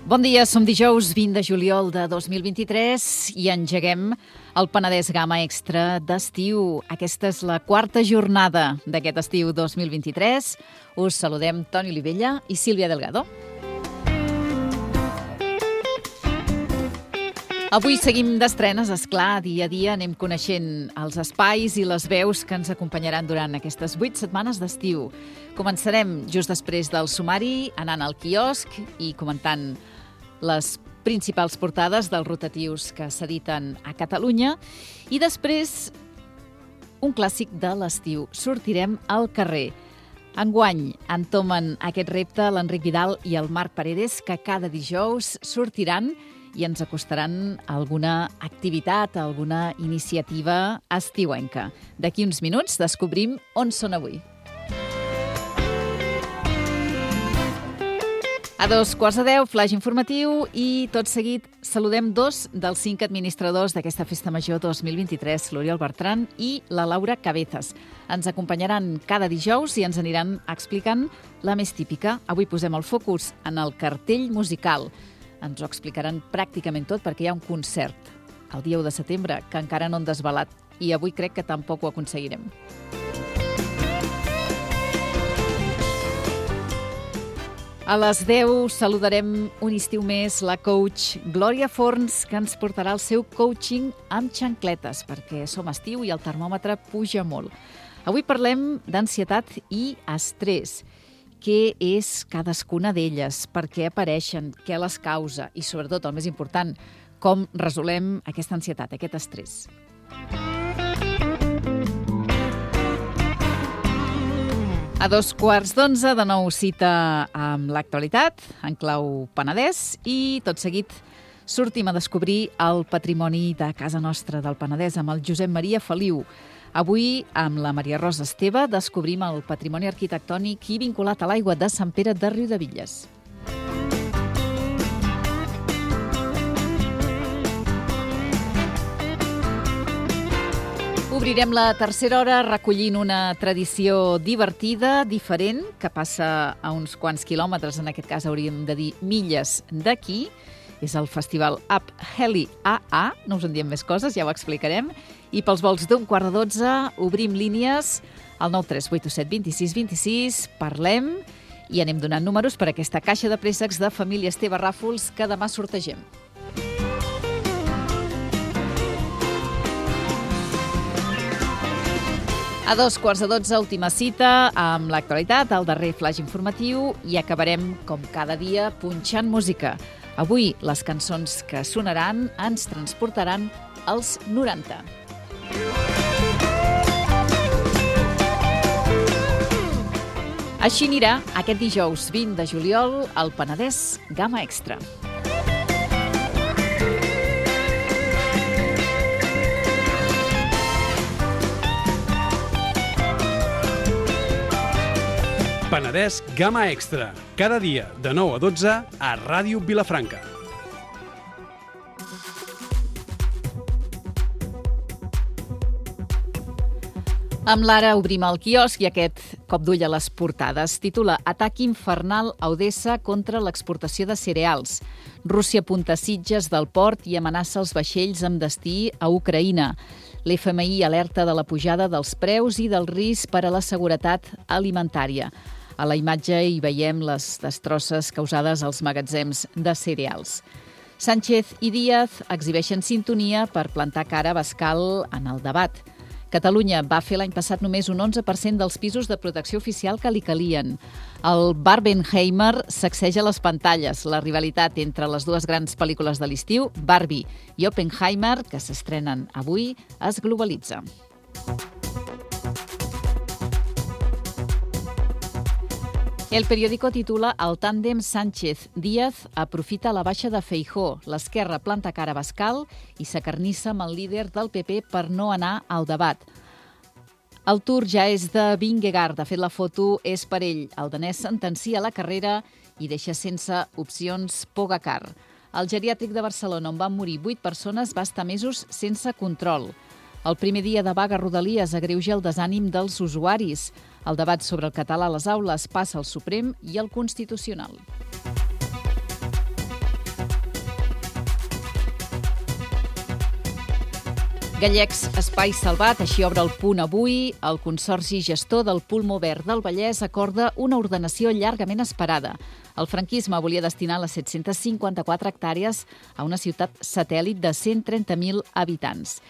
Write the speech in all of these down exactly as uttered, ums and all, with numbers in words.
Bon dia, som dijous vint de juliol de dos mil vint-i-tres i engeguem el Penedès Gamma Extra d'estiu. Aquesta és la quarta jornada d'aquest estiu dos mil vint-i-tres. Us saludem Toni Olivella i Sílvia Delgado. Avui seguim d'estrenes, esclar, dia a dia anem coneixent els espais i les veus que ens acompanyaran durant aquestes vuit setmanes d'estiu. Començarem just després del sumari, anant al quiosc i comentant les principals portades dels rotatius que s'editen a Catalunya i després un clàssic de l'estiu. Sortirem al carrer. Enguany entomen aquest repte l'Enric Vidal i el Marc Paredes, que cada dijous sortiran i ens acostaran alguna activitat, alguna iniciativa estiuenca. D'aquí uns minuts descobrim on són avui. A dos quarts de deu, flash informatiu i tot seguit saludem dos dels cinc administradors d'aquesta Festa Major dos mil vint-i-tres, l'Oriol Bertran i la Laura Cabezas. Ens acompanyaran cada dijous i ens aniran explicant la més típica. Avui posem el focus en el cartell musical. Ens ho explicaran pràcticament tot perquè hi ha un concert el dia u de setembre que encara no han desvelat i avui crec que tampoc ho aconseguirem. A les deu saludarem un estiu més la coach Glòria Forns, que ens portarà el seu coaching amb xancletes, perquè som estiu i el termòmetre puja molt. Avui parlem d'ansietat i estrès. Què és cadascuna d'elles, per què apareixen, què les causa i, sobretot, el més important, com resolem aquesta ansietat, aquest estrès. A dos quarts d'onze, de nou cita amb l'actualitat, en clau Penedès, i tot seguit sortim a descobrir el patrimoni de casa nostra del Penedès amb el Josep Maria Feliu. Avui, amb la Maria Rosa Esteve, descobrim el patrimoni arquitectònic i vinculat a l'aigua de Sant Pere de Riudebitlles. Obrirem la tercera hora recollint una tradició divertida, diferent, que passa a uns quants quilòmetres, en aquest cas hauríem de dir milles d'aquí. És el festival Up Heli A A, no us en diem més coses, ja ho explicarem. I pels vols d'un quart de dotze obrim línies al nou tres vuit set dos sis dos sis, parlem i anem donant números per a aquesta caixa de préssecs de família Esteve Ràfols que demà sortegem. A dos quarts de dotze, última cita amb l'actualitat, el darrer flash informatiu i acabarem, com cada dia, punxant música. Avui, les cançons que sonaran ens transportaran als noranta. Així anirà aquest dijous vint de juliol al Penedès Gamma Extra. Penedès Gamma Extra, cada dia de nou a dotze a Ràdio Vilafranca. Amb l'Ara obrim el quiosc i aquest cop d'ull a les portades. Titula Atac infernal a Odessa contra l'exportació de cereals. Rússia apunta Sitges del port i amenaça els vaixells amb destí a Ucraïna. L'F M I alerta de la pujada dels preus i del risc per a la seguretat alimentària. A la imatge hi veiem les destrosses causades als magatzems de cereals. Sánchez i Díaz exhibeixen sintonia per plantar cara a Abascal en el debat. Catalunya va fer l'any passat només un onze per cent dels pisos de protecció oficial que li calien. El Barbenheimer sacseja les pantalles. La rivalitat entre les dues grans pel·lícules de l'estiu, Barbie i Oppenheimer, que s'estrenen avui, es globalitza. El periòdico titula El tàndem Sánchez-Díaz aprofita la baixa de Feijóo. L'esquerra planta cara a Abascal i s'acarnissa amb el líder del P P per no anar al debat. El tour ja és de Vingegaard. De fet, la foto és per ell. El danès sentencia la carrera i deixa sense opcions Pogacar. El geriàtric de Barcelona, on van morir vuit persones, va estar mesos sense control. El primer dia de vaga a Rodalies agreuja el desànim dels usuaris. El debat sobre el català a les aules passa al Suprem i al Constitucional. Gallecs Espai Salvat, així obre el punt avui. El Consorci Gestor del Pulmó Verd del Vallès acorda una ordenació llargament esperada. El franquisme volia destinar les set-centes cinquanta-quatre hectàrees a una ciutat satèl·lit de cent trenta mil habitants.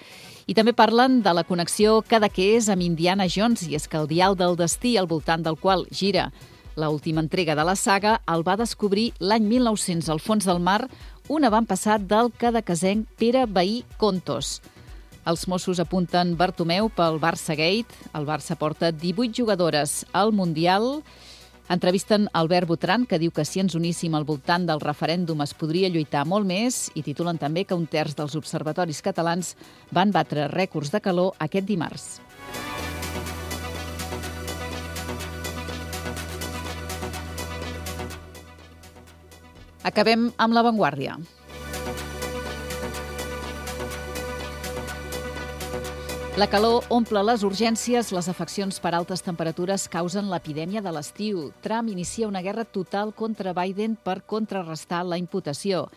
I també parlen de la connexió Cadaqués amb Indiana Jones, i és que el dial del destí al voltant del qual gira l'última entrega de la saga el va descobrir l'any mil nou-cents al fons del mar un avantpassat del cadaquesenc Pere Vehí Contos. Els Mossos apunten Bartomeu pel Barça Gate. El Barça porta divuit jugadores al Mundial. Entrevisten Albert Botran, que diu que si ens uníssim al voltant del referèndum es podria lluitar molt més, i titulen també que un terç dels observatoris catalans van batre rècords de calor aquest dimarts. Acabem amb La Vanguardia. La calor omple les urgències, les afeccions per altes temperatures causen l'epidèmia de l'estiu. Trump inicia una guerra total contra Biden per contrarrestar la imputació.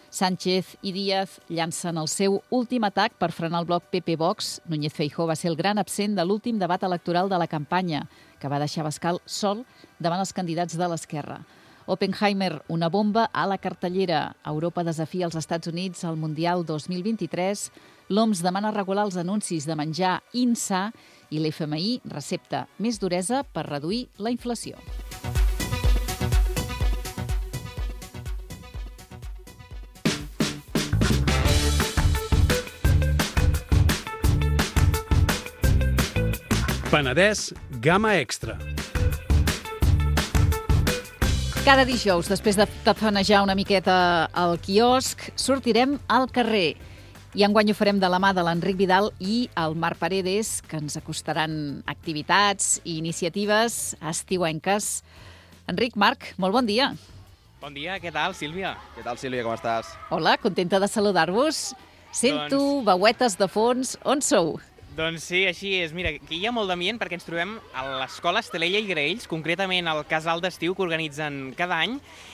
Sánchez i Díaz llancen el seu últim atac per frenar el bloc P P-Vox. Núñez Feijóo va ser el gran absent de l'últim debat electoral de la campanya, que va deixar Abascal sol davant els candidats de l'esquerra. Oppenheimer, una bomba a la cartellera. Europa desafia els Estats Units al Mundial dos mil vint-i-tres. L'O M S demana regular els anuncis de menjar insa i l'F M I recepta més duresa per reduir la inflació. Penedès Gamma Extra. Cada dijous, després de tafanejar una miqueta al quiosc, sortirem al carrer. I enguany ho farem de la mà de l'Enric Vidal i el Marc Paredes, que ens acostaran activitats i iniciatives estiuenques. Enric, Marc, molt bon dia. Bon dia, què tal, Sílvia? Què tal, Sílvia, com estàs? Hola, contenta de saludar-vos. Sento doncs... veuetes de fons. On sou? Doncs sí, així és. Mira, aquí hi ha molt d'ambient perquè ens trobem a l'escola Estelella i Graells, concretament al casal d'estiu que organitzen cada any.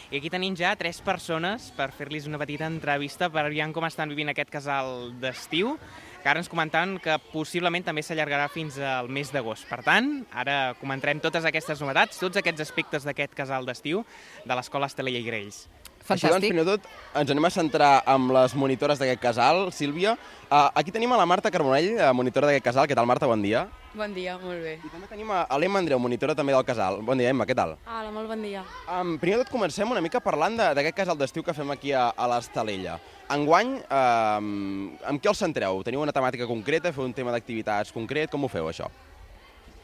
I aquí tenim ja tres persones per fer-los una petita entrevista per veure com estan vivint aquest casal d'estiu, que ara ens comentaven que possiblement també s'allargarà fins al mes d'agost. Per tant, ara comentarem totes aquestes novetats, tots aquests aspectes d'aquest casal d'estiu de l'escola Estelella i Graells. Fantàstic. Així doncs, primer de tot, ens anem a centrar amb les monitores d'aquest casal. Sílvia, uh, aquí tenim a la Marta Carbonell, monitora d'aquest casal. Què tal, Marta? Bon dia. Bon dia, molt bé. I també tenim a l'Emma Andreu, monitora també del casal. Bon dia, Emma, què tal? Hola, molt bon dia. Um, primer de tot, comencem una mica parlant d'aquest casal d'estiu que fem aquí a, a l'Estelella. Enguany, um, amb què els centreu? Teniu una temàtica concreta? Feu un tema d'activitats concret? Com ho feu, això?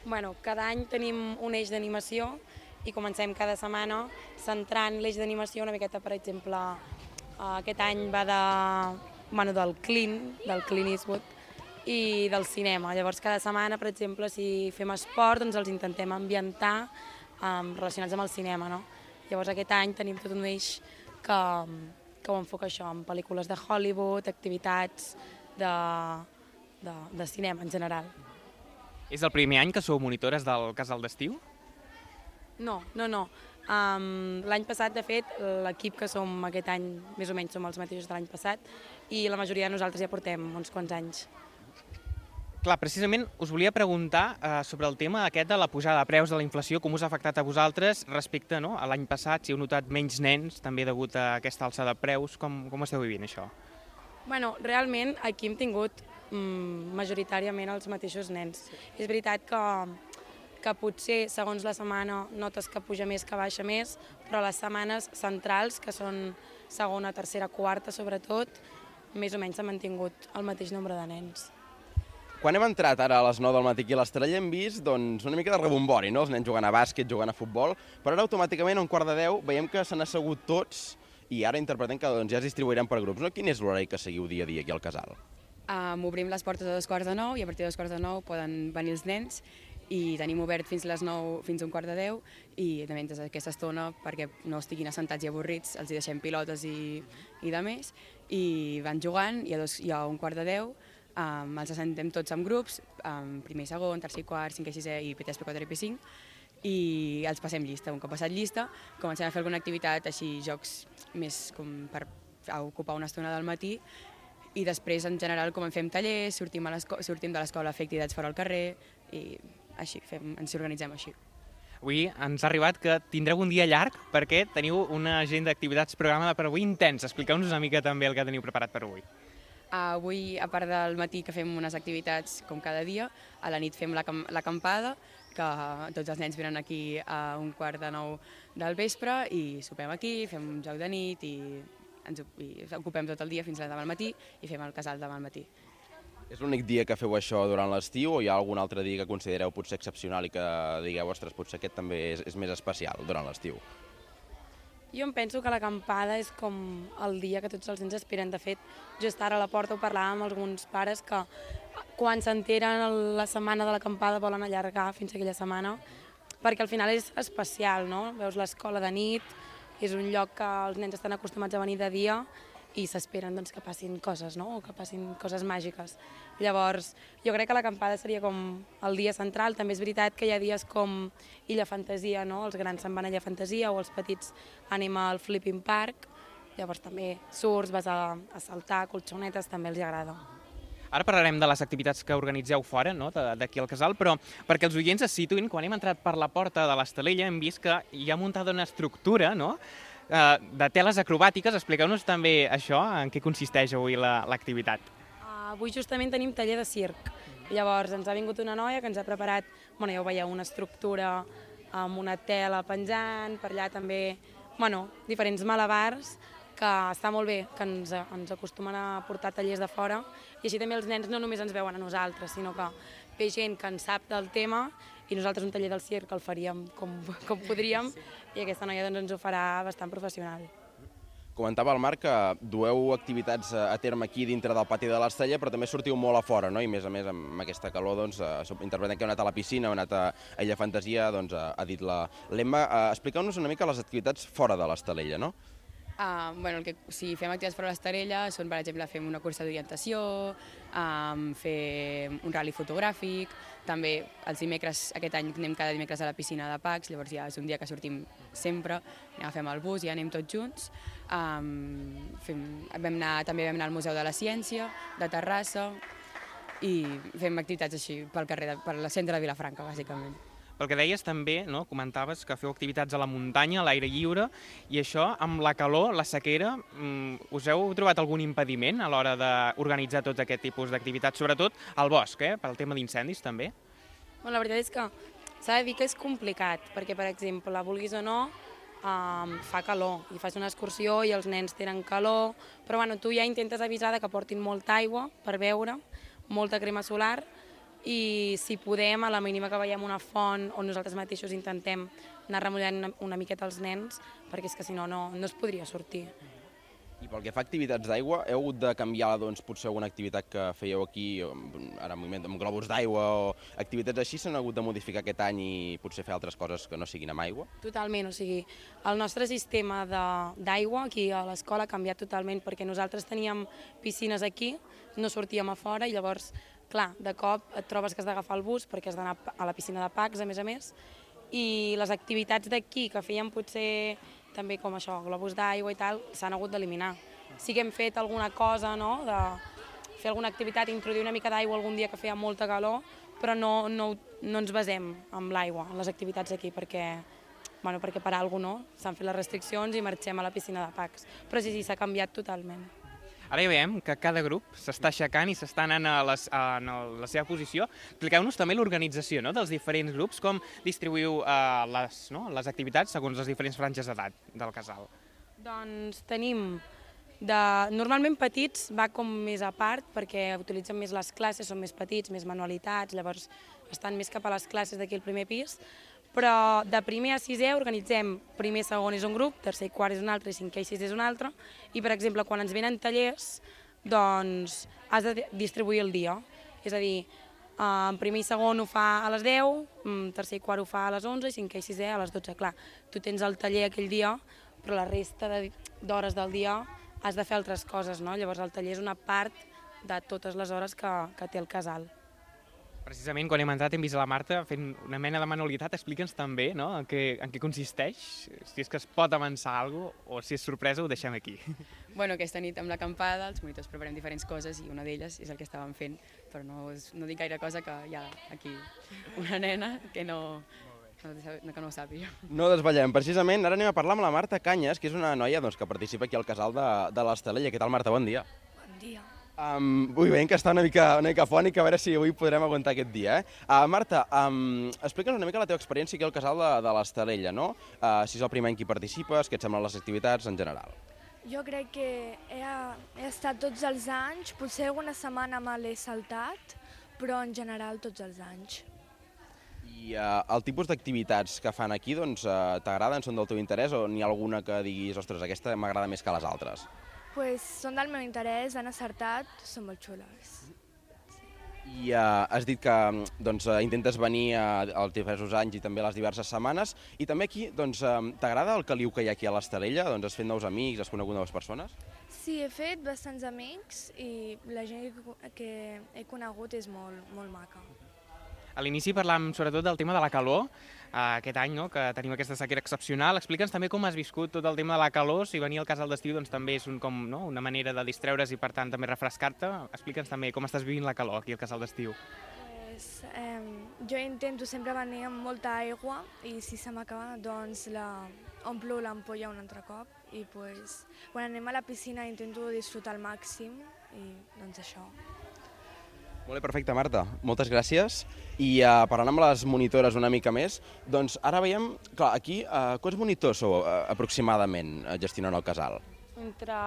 Bueno, cada any tenim un eix d'animació i comencem cada setmana centrant l'eix d'animació una miqueta, per exemple, aquest any va de, bueno, del Clint, del Clint Eastwood, i del cinema. Llavors, cada setmana, per exemple, si fem esport, doncs els intentem ambientar um, relacionats amb el cinema, no? Llavors, aquest any tenim tot un eix que, que ho enfoca això, amb pel·lícules de Hollywood, activitats de, de, de cinema en general. És el primer any que sou monitores del casal d'estiu? No, no, no. Um, l'any passat, de fet, l'equip que som aquest any, més o menys som els mateixos de l'any passat, i la majoria de nosaltres ja portem uns quants anys. Clar, precisament us volia preguntar uh, sobre el tema aquest de la pujada de preus de la inflació, com us ha afectat a vosaltres respecte, no, a l'any passat, si heu notat menys nens, també degut a aquesta alça de preus, com, com esteu vivint això? Bueno, realment aquí hem tingut mm, majoritàriament els mateixos nens. És veritat que que potser segons la setmana notes que puja més, que baixa més, però les setmanes centrals, que són segona, tercera, quarta sobretot, més o menys s'ha mantingut el mateix nombre de nens. Quan hem entrat ara a les nou del matí aquí a l'Estrella hem vist doncs, una mica de rebombori, no? Els nens jugant a bàsquet, jugant a futbol, però ara automàticament a un quart de deu veiem que s'han assegut tots i ara interpretem que doncs, ja es distribuiran per grups. No? Quin és l'horari que seguiu dia a dia aquí al casal? Um, obrim les portes a dos quarts de nou i a partir de dos quarts de nou poden venir els nens i tenim obert fins les nou, fins a un quart de deu, i també des d'aquesta estona, perquè no estiguin assentats i avorrits, els hi deixem pilotes i, i de més, i van jugant, i a, dos, i a un quart de deu um, els assentem tots en grups, um, primer i segon, tercer i quart, cinquè i sisè, i P tres, P quatre i P cinc, i els passem llista. Un cop passat llista, comencem a fer alguna activitat, així jocs més com per ocupar una estona del matí, i després, en general, com en fem tallers, sortim, a sortim de l'escola a fer activitats fora al carrer i així, fem, ens organitzem així. Avui ens ha arribat que tindreu un dia llarg perquè teniu una agenda d'activitats programada per avui intens. Expliqueu-nos una mica també el que teniu preparat per avui. Avui, a part del matí que fem unes activitats com cada dia, a la nit fem l'acampada, que tots els nens venen aquí a un quart de nou del vespre i sopem aquí, fem un joc de nit i ens ocupem tot el dia fins a demà al matí i fem el casal demà al matí. És l'únic dia que feu això durant l'estiu o hi ha algun altre dia que considereu potser excepcional i que digueu, ostres, potser aquest també és, és més especial durant l'estiu? Jo em penso que l'acampada és com el dia que tots els nens esperen. De fet, just ara a la porta ho parlàvem amb alguns pares que quan s'enteren la setmana de l'acampada volen allargar fins a aquella setmana perquè al final és especial, no? Veus l'escola de nit, és un lloc que els nens estan acostumats a venir de dia i s'esperen doncs, que passin coses, no? O que passin coses màgiques. Llavors, jo crec que l'acampada seria com el dia central. També és veritat que hi ha dies com Illa Fantasia, no? Els grans se'n van a Illa Fantasia o els petits anem al Flipping Park. Llavors també surts, vas a, a saltar, colxonetes, també els agrada. Ara parlarem de les activitats que organitzeu fora, no? D'aquí al casal, però perquè els oients es situïn, quan hem entrat per la porta de l'Estalella hem vist que hi ha muntada una estructura, no?, de teles acrobàtiques. Expliqueu-nos també això, en què consisteix avui l'activitat. Uh, avui justament tenim taller de circ. Llavors ens ha vingut una noia que ens ha preparat, bueno, ja ho veieu, una estructura amb una tela penjant, per allà també, bueno, diferents malabars, que està molt bé, que ens, ens acostumen a portar tallers de fora, i així també els nens no només ens veuen a nosaltres, sinó que ve gent que en sap del tema, i nosaltres un taller del circ el faríem com, com podríem, i aquesta noia doncs, ens ho farà bastant professional. Comentava el Marc que dueu activitats a terme aquí dintre del pati de l'Estella, però també sortiu molt a fora, no? I més a més amb aquesta calor, doncs, interpretem que heu anat a la piscina, heu anat a Illa Fantasia, doncs ha dit l'Emma. Expliqueu-nos una mica les activitats fora de l'Estalella, no? Uh, bueno, el que, si fem activitats fora de l'Estarella són, per exemple, fem una cursa d'orientació, um, fem un rally fotogràfic, també els dimecres, aquest any anem cada dimecres a la piscina de Pacs, llavors ja és un dia que sortim sempre, agafem el bus i ja anem tots junts. Um, fem, vam anar, també vam anar al Museu de la Ciència, de Terrassa, i fem activitats així pel carrer, de, per la centre de Vilafranca, bàsicament. Pel que deies també, no, comentaves que feu activitats a la muntanya, a l'aire lliure, i això, amb la calor, la sequera, us heu trobat algun impediment a l'hora d'organitzar tot aquest tipus d'activitats, sobretot al bosc, eh, pel tema d'incendis també? Bueno, la veritat és que s'ha de dir que és complicat, perquè, per exemple, vulguis o no, um, fa calor, i fas una excursió i els nens tenen calor, però bueno, tu ja intentes avisar que portin molta aigua per beure, molta crema solar, i si podem, a la mínima que veiem una font on nosaltres mateixos intentem anar remullant una, una miqueta els nens, perquè és que si no, no, no es podria sortir. I pel que fa a activitats d'aigua, heu hagut de canviar doncs, potser alguna activitat que fèieu aquí, ara en moviment amb globus d'aigua o activitats així, s'han hagut de modificar aquest any i potser fer altres coses que no siguin amb aigua? Totalment, o sigui, el nostre sistema d'aigua aquí a l'escola ha canviat totalment, perquè nosaltres teníem piscines aquí, no sortíem a fora i llavors, clar, de cop et trobes que has d'agafar el bus perquè has d'anar a la piscina de Pacs, a més a més, i les activitats d'aquí que fèiem potser també com això, globus d'aigua i tal, s'han hagut d'eliminar. Sí que hem fet alguna cosa, no?, de fer alguna activitat, introduir una mica d'aigua algun dia que feia molta calor, però no, no, no ens basem en l'aigua, en les activitats aquí, perquè, bueno, perquè per alguna cosa, no? S'han fet les restriccions i marxem a la piscina de Pacs. Però sí, sí, s'ha canviat totalment. Ara ja veiem que cada grup s'està aixecant i s'està anant a, les, a, a la seva posició. Expliqueu-nos també l'organització, no?, dels diferents grups, com distribuïu uh, les, no?, les activitats segons les diferents franges d'edat del casal. Doncs tenim, de, normalment petits va com més a part perquè utilitzen més les classes, són més petits, més manualitats, llavors estan més cap a les classes d'aquí al primer pis. Però de primer a sisè organitzem primer, segon és un grup, tercer i quart és un altre, i cinquè i sisè és un altre, i per exemple quan ens venen tallers, doncs has de distribuir el dia, és a dir, en primer i segon ho fa a les deu, tercer i quart ho fa a les onze i cinquè i sisè a les dotze. Clar, tu tens el taller aquell dia, però la resta d'hores del dia has de fer altres coses, no? Llavors el taller és una part de totes les hores que, que té el casal. Precisament quan hem entrat hem vist la Marta fent una mena de manualitat. Explica'ns també, no?, en què, en què consisteix, si és que es pot avançar alguna cosa o si és sorpresa ho deixem aquí. Bueno, aquesta nit amb l'acampada els monitors preparem diferents coses i una d'elles és el que estàvem fent, però no, no dic gaire cosa que hi ha aquí una nena que no, no, que no ho sàpiga. No desvetllem. Precisament ara anem a parlar amb la Marta Canyes, que és una noia doncs, que participa aquí al casal de, de l'Estelella. Què tal, Marta? Bon dia. Bon dia. Um, vull veient que està una mica, una mica fònica, a veure si avui podrem aguantar aquest dia. Eh? Uh, Marta, um, explica'ns una mica la teva experiència aquí al casal de, de l'Estelella, no? Uh, si és el primer any que hi participes, què et semblen les activitats en general? Jo crec que he, he estat tots els anys, potser alguna setmana me l'he saltat, però en general tots els anys. I uh, el tipus d'activitats que fan aquí, doncs, uh, t'agraden, són del teu interès o n'hi ha alguna que diguis, ostres, aquesta m'agrada més que les altres? Pues són del meu interès, han acertat, són molt xules. I uh, has dit que doncs, uh, intentes venir uh, els diversos anys i també les diverses setmanes, i també aquí doncs, uh, t'agrada el caliu que hi ha aquí a l'Estelella? Doncs has fet nous amics, has conegut noves persones? Sí, he fet bastants amics i la gent que he conegut és molt, molt maca. A l'inici parlàvem sobretot del tema de la calor, eh, aquest any, no?, que tenim aquesta sequera excepcional. Explica'ns també com has viscut tot el tema de la calor, si venir al casal d'estiu doncs, també és un, com, no?, una manera de distreure's i per tant també refrescar-te. Explica'ns també com estàs vivint la calor aquí al casal d'estiu. Pues, eh, jo intento sempre venir amb molta aigua i si se m'acaba doncs la omplo l'ampolla un altre cop i pues, quan anem a la piscina intento disfrutar al màxim i doncs això. Molt bé, perfecte, Marta. Moltes gràcies. I uh, parlant amb les monitores una mica més, doncs ara veiem, clar, aquí, uh, quants monitors sou uh, aproximadament uh, gestionant el casal? Entre...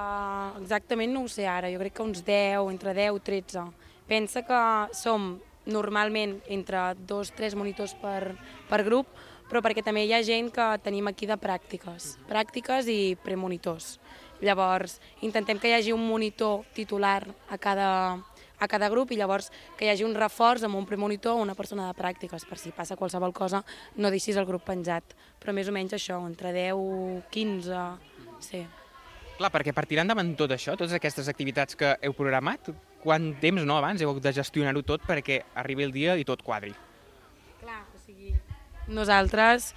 Exactament no ho sé ara, jo crec que uns deu, entre deu i tretze. Pensa que som normalment entre dos o tres monitors per, per grup, però perquè també hi ha gent que tenim aquí de pràctiques, pràctiques i premonitors. Llavors, intentem que hi hagi un monitor titular a cada, a cada grup i llavors que hi hagi un reforç amb un premonitor o una persona de pràctiques, per si passa qualsevol cosa no deixis el grup penjat. Però més o menys això, entre deu i quinze, sí. Clar, perquè per tirar endavant tot això, totes aquestes activitats que heu programat, quant temps, no, abans heu hagut de gestionar-ho tot perquè arribi el dia i tot quadri? Clar, o sigui, nosaltres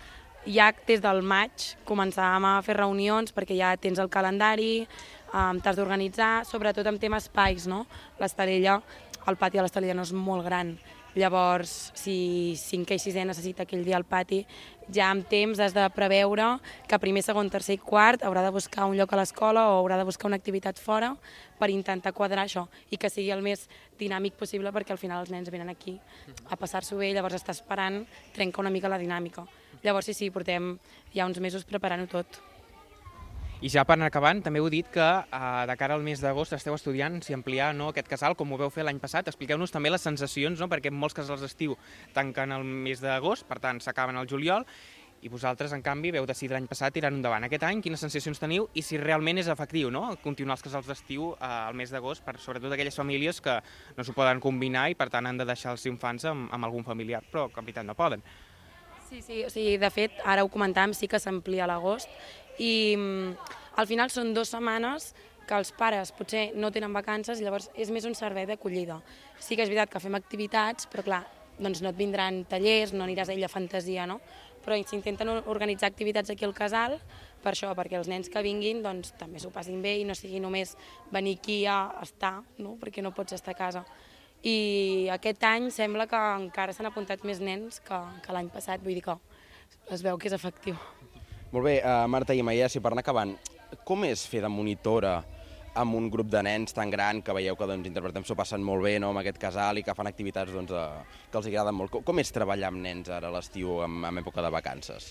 ja des del maig començàvem a fer reunions perquè ja tens el calendari, um, t'has d'organitzar, sobretot amb temes espais, no? L'Estelella, el pati de l'Estelella no és molt gran, llavors si cinquè i sisè necessita aquell dia al pati, ja amb temps has de preveure que primer, segon, tercer i quart haurà de buscar un lloc a l'escola o haurà de buscar una activitat fora per intentar quadrar això i que sigui el més dinàmic possible perquè al final els nens venen aquí a passar-s'ho bé, llavors està esperant, trenca una mica la dinàmica. Llavors sí, sí, portem ja uns mesos preparant-ho tot. I ja per anar acabant, també heu dit que eh, de cara al mes d'agost esteu estudiant si ampliar no, aquest casal, com ho veu fer l'any passat. Expliqueu-nos també les sensacions, no? Perquè molts casals d'estiu tanquen el mes d'agost, per tant s'acaben al juliol, i vosaltres, en canvi, veu decidir l'any passat tirar-ho endavant. Aquest any, quines sensacions teniu i si realment és efectiu, no?, continuar els casals d'estiu eh, al mes d'agost, per sobretot aquelles famílies que no s'ho poden combinar i per tant han de deixar els infants amb, amb algun familiar, però que en veritat no poden. Sí, sí, o sigui, de fet, ara ho comentàvem, sí que s'amplia a l'agost i al final són dues setmanes que els pares potser no tenen vacances i llavors és més un servei d'acollida. Sí que és veritat que fem activitats, però clar, doncs no et vindran tallers, no aniràs a Illa Fantasia, no? Però s'intenten organitzar activitats aquí al casal per això, perquè els nens que vinguin doncs, també s'ho passin bé i no sigui només venir aquí a estar, no? Perquè no pots estar a casa. I aquest any sembla que encara s'han apuntat més nens que, que l'any passat, vull dir que es veu que és efectiu. Molt bé, uh, Marta i Maia, si per anar acabant, com és fer de monitora amb un grup de nens tan gran que veieu que doncs, interpretem s'ho passen molt bé, no?, amb aquest casal i que fan activitats doncs, uh, que els agraden molt? Com, com és treballar amb nens ara a l'estiu, en, en època de vacances?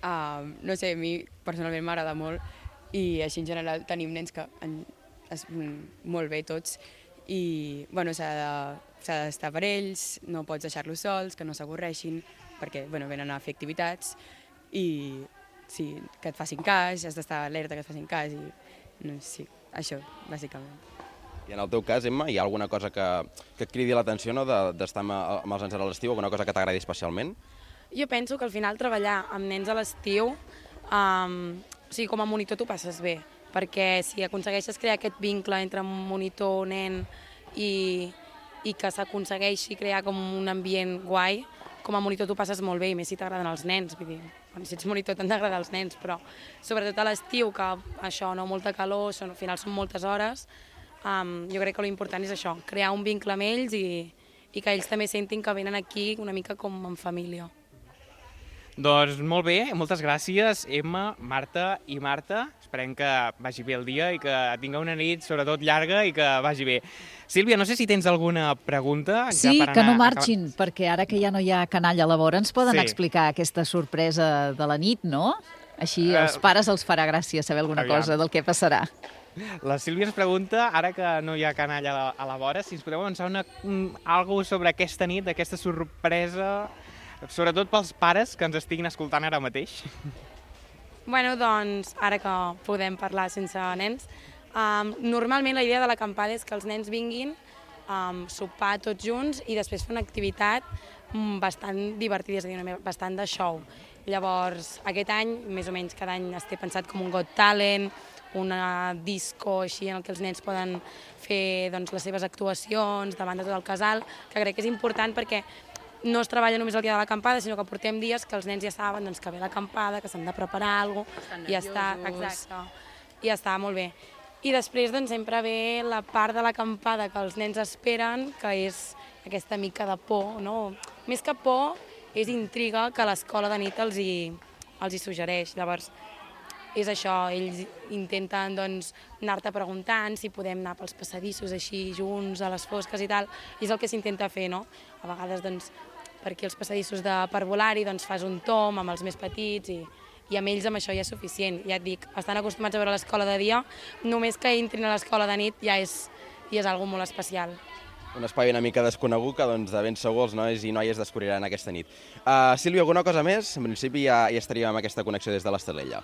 Uh, no sé, a mi personalment m'agrada molt i així en general tenim nens que en, es, molt bé tots i bueno, s'ha d'estar per ells, no pots deixar-los sols, que no s'avorreixin perquè bueno, venen a fer activitats i sí, que et facin cas, has d'estar alerta que et facin cas i no, sí, això, bàsicament. I en el teu cas, Emma, hi ha alguna cosa que, que et cridi l'atenció, no?, d'estar amb, amb els nens a l'estiu, alguna cosa que t'agradi especialment? Jo penso que al final treballar amb nens a l'estiu, um, o sigui, com a monitor t'ho passes bé, perquè si aconsegueixes crear aquest vincle entre monitor, nen i, i que s'aconsegueixi crear com un ambient guai, com a monitor t'ho passes molt bé, i més si t'agraden els nens, vull dir, quan si ets monitor t'han d'agradar els nens, però sobretot a l'estiu, que això, no, molta calor, són, al final són moltes hores, um, jo crec que l'important és això, crear un vincle amb ells i, i que ells també sentin que venen aquí una mica com en família. Doncs molt bé, moltes gràcies, Emma, Marta i Marta. Esperem que vagi bé el dia i que tinga una nit, sobretot llarga, i que vagi bé. Sílvia, no sé si tens alguna pregunta. Sí, ja per que anar... no marxin, acab... perquè ara que ja no hi ha canalla a la vora ens poden sí. explicar aquesta sorpresa de la nit, no? Així als pares els farà gràcia saber alguna Aviam. cosa del que passarà. La Sílvia ens pregunta, ara que no hi ha canalla a la, a la vora, si ens podeu avançar una, un, alguna sobre aquesta nit, aquesta sorpresa, sobretot pels pares que ens estiguin escoltant ara mateix. Bueno, doncs, ara que podem parlar sense nens, um, normalment la idea de l'acampada és que els nens vinguin, um, sopar tots junts i després fer una activitat um, bastant divertida, és a dir, bastant de show. Llavors, aquest any, més o menys cada any es té pensat com un Got Talent, una disco així en el que els nens poden fer doncs, les seves actuacions davant de tot el casal, que crec que és important perquè no es treballa només el dia de l'acampada, sinó que portem dies que els nens ja saben doncs, que ve l'acampada, que s'han de preparar alguna cosa, i ja està, exacte, i ja està molt bé. I després doncs, sempre ve la part de l'acampada que els nens esperen, que és aquesta mica de por, no? Més que por, és intriga que l'escola de nit els hi, els hi suggereix. Llavors, és això, ells intenten doncs, anar-te preguntant si podem anar pels passadissos així junts, a les fosques i tal, i és el que s'intenta fer, no? A vegades, doncs, per aquí els passadissos de parvulari doncs, fas un tom amb els més petits i, i amb ells amb això ja és suficient. Ja et dic, estan acostumats a veure l'escola de dia, només que entrin a l'escola de nit ja és, ja és algo molt especial. Un espai una mica desconegut que doncs, de ben segur els nois i noies descobriran aquesta nit. Uh, Sílvia, alguna cosa més? En principi ja, ja estaríem amb aquesta connexió des de l'Estelella.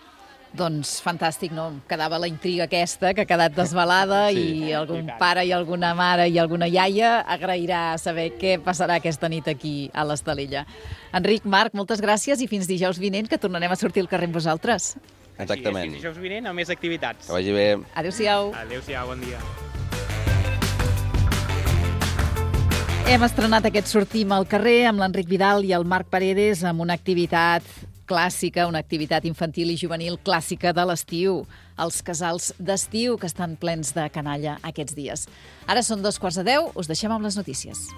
Doncs fantàstic, no? Quedava la intriga aquesta, que ha quedat desvelada sí, i algun i pare i alguna mare i alguna iaia agrairà saber què passarà aquesta nit aquí a l'Estelella. Enric, Marc, moltes gràcies i fins dijous vinent, que tornarem a sortir al carrer amb vosaltres. Exactament. Fins dijous vinent amb més activitats. Que vagi bé. Adéu-siau. Adéu-siau, bon dia. Hem estrenat aquest Sortim al carrer amb l'Enric Vidal i el Marc Paredes amb una activitat clàssica, una activitat infantil i juvenil clàssica de l'estiu, els casals d'estiu que estan plens de canalla aquests dies. Ara són dos quarts de deu, us deixem amb les notícies.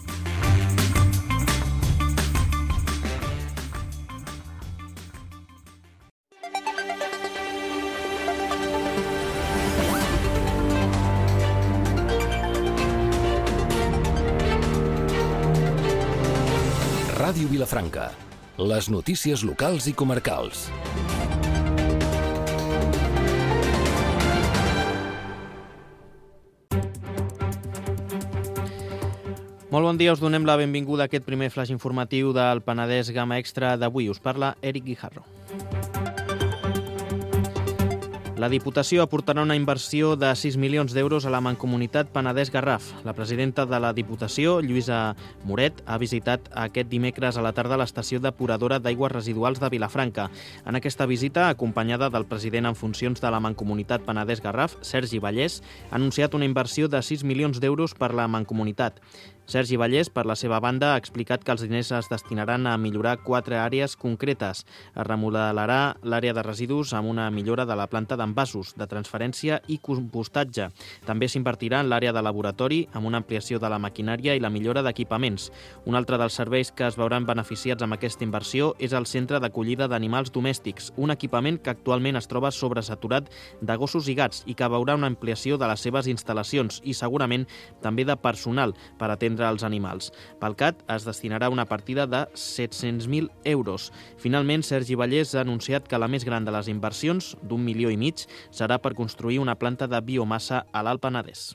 Ràdio Vilafranca. Les notícies locals i comarcals. Molt bon dia, us donem la benvinguda a aquest primer flash informatiu del Penedès Gamma Extra d'avui. Us parla Eric Guijarro. La Diputació aportarà una inversió de sis milions d'euros a la Mancomunitat Penedès-Garraf. La presidenta de la Diputació, Lluïsa Moret, ha visitat aquest dimecres a la tarda l'estació depuradora d'aigües residuals de Vilafranca. En aquesta visita, acompanyada del president en funcions de la Mancomunitat Penedès-Garraf, Sergi Vallès, ha anunciat una inversió de sis milions d'euros per la Mancomunitat. Sergi Vallès, per la seva banda, ha explicat que els diners es destinaran a millorar quatre àrees concretes. Es remodelarà l'àrea de residus amb una millora de la planta d'envasos, de transferència i compostatge. També s'invertirà en l'àrea de laboratori amb una ampliació de la maquinària i la millora d'equipaments. Un altre dels serveis que es veuran beneficiats amb aquesta inversió és el Centre d'Acollida d'Animals Domèstics, un equipament que actualment es troba sobresaturat de gossos i gats i que veurà una ampliació de les seves instal·lacions i segurament també de personal per atendre als animals. Pel C A T es destinarà una partida de set-cents mil euros. Finalment, Sergi Vallès ha anunciat que la més gran de les inversions, d'un milió i mig, serà per construir una planta de biomassa a l'Alt Penedès.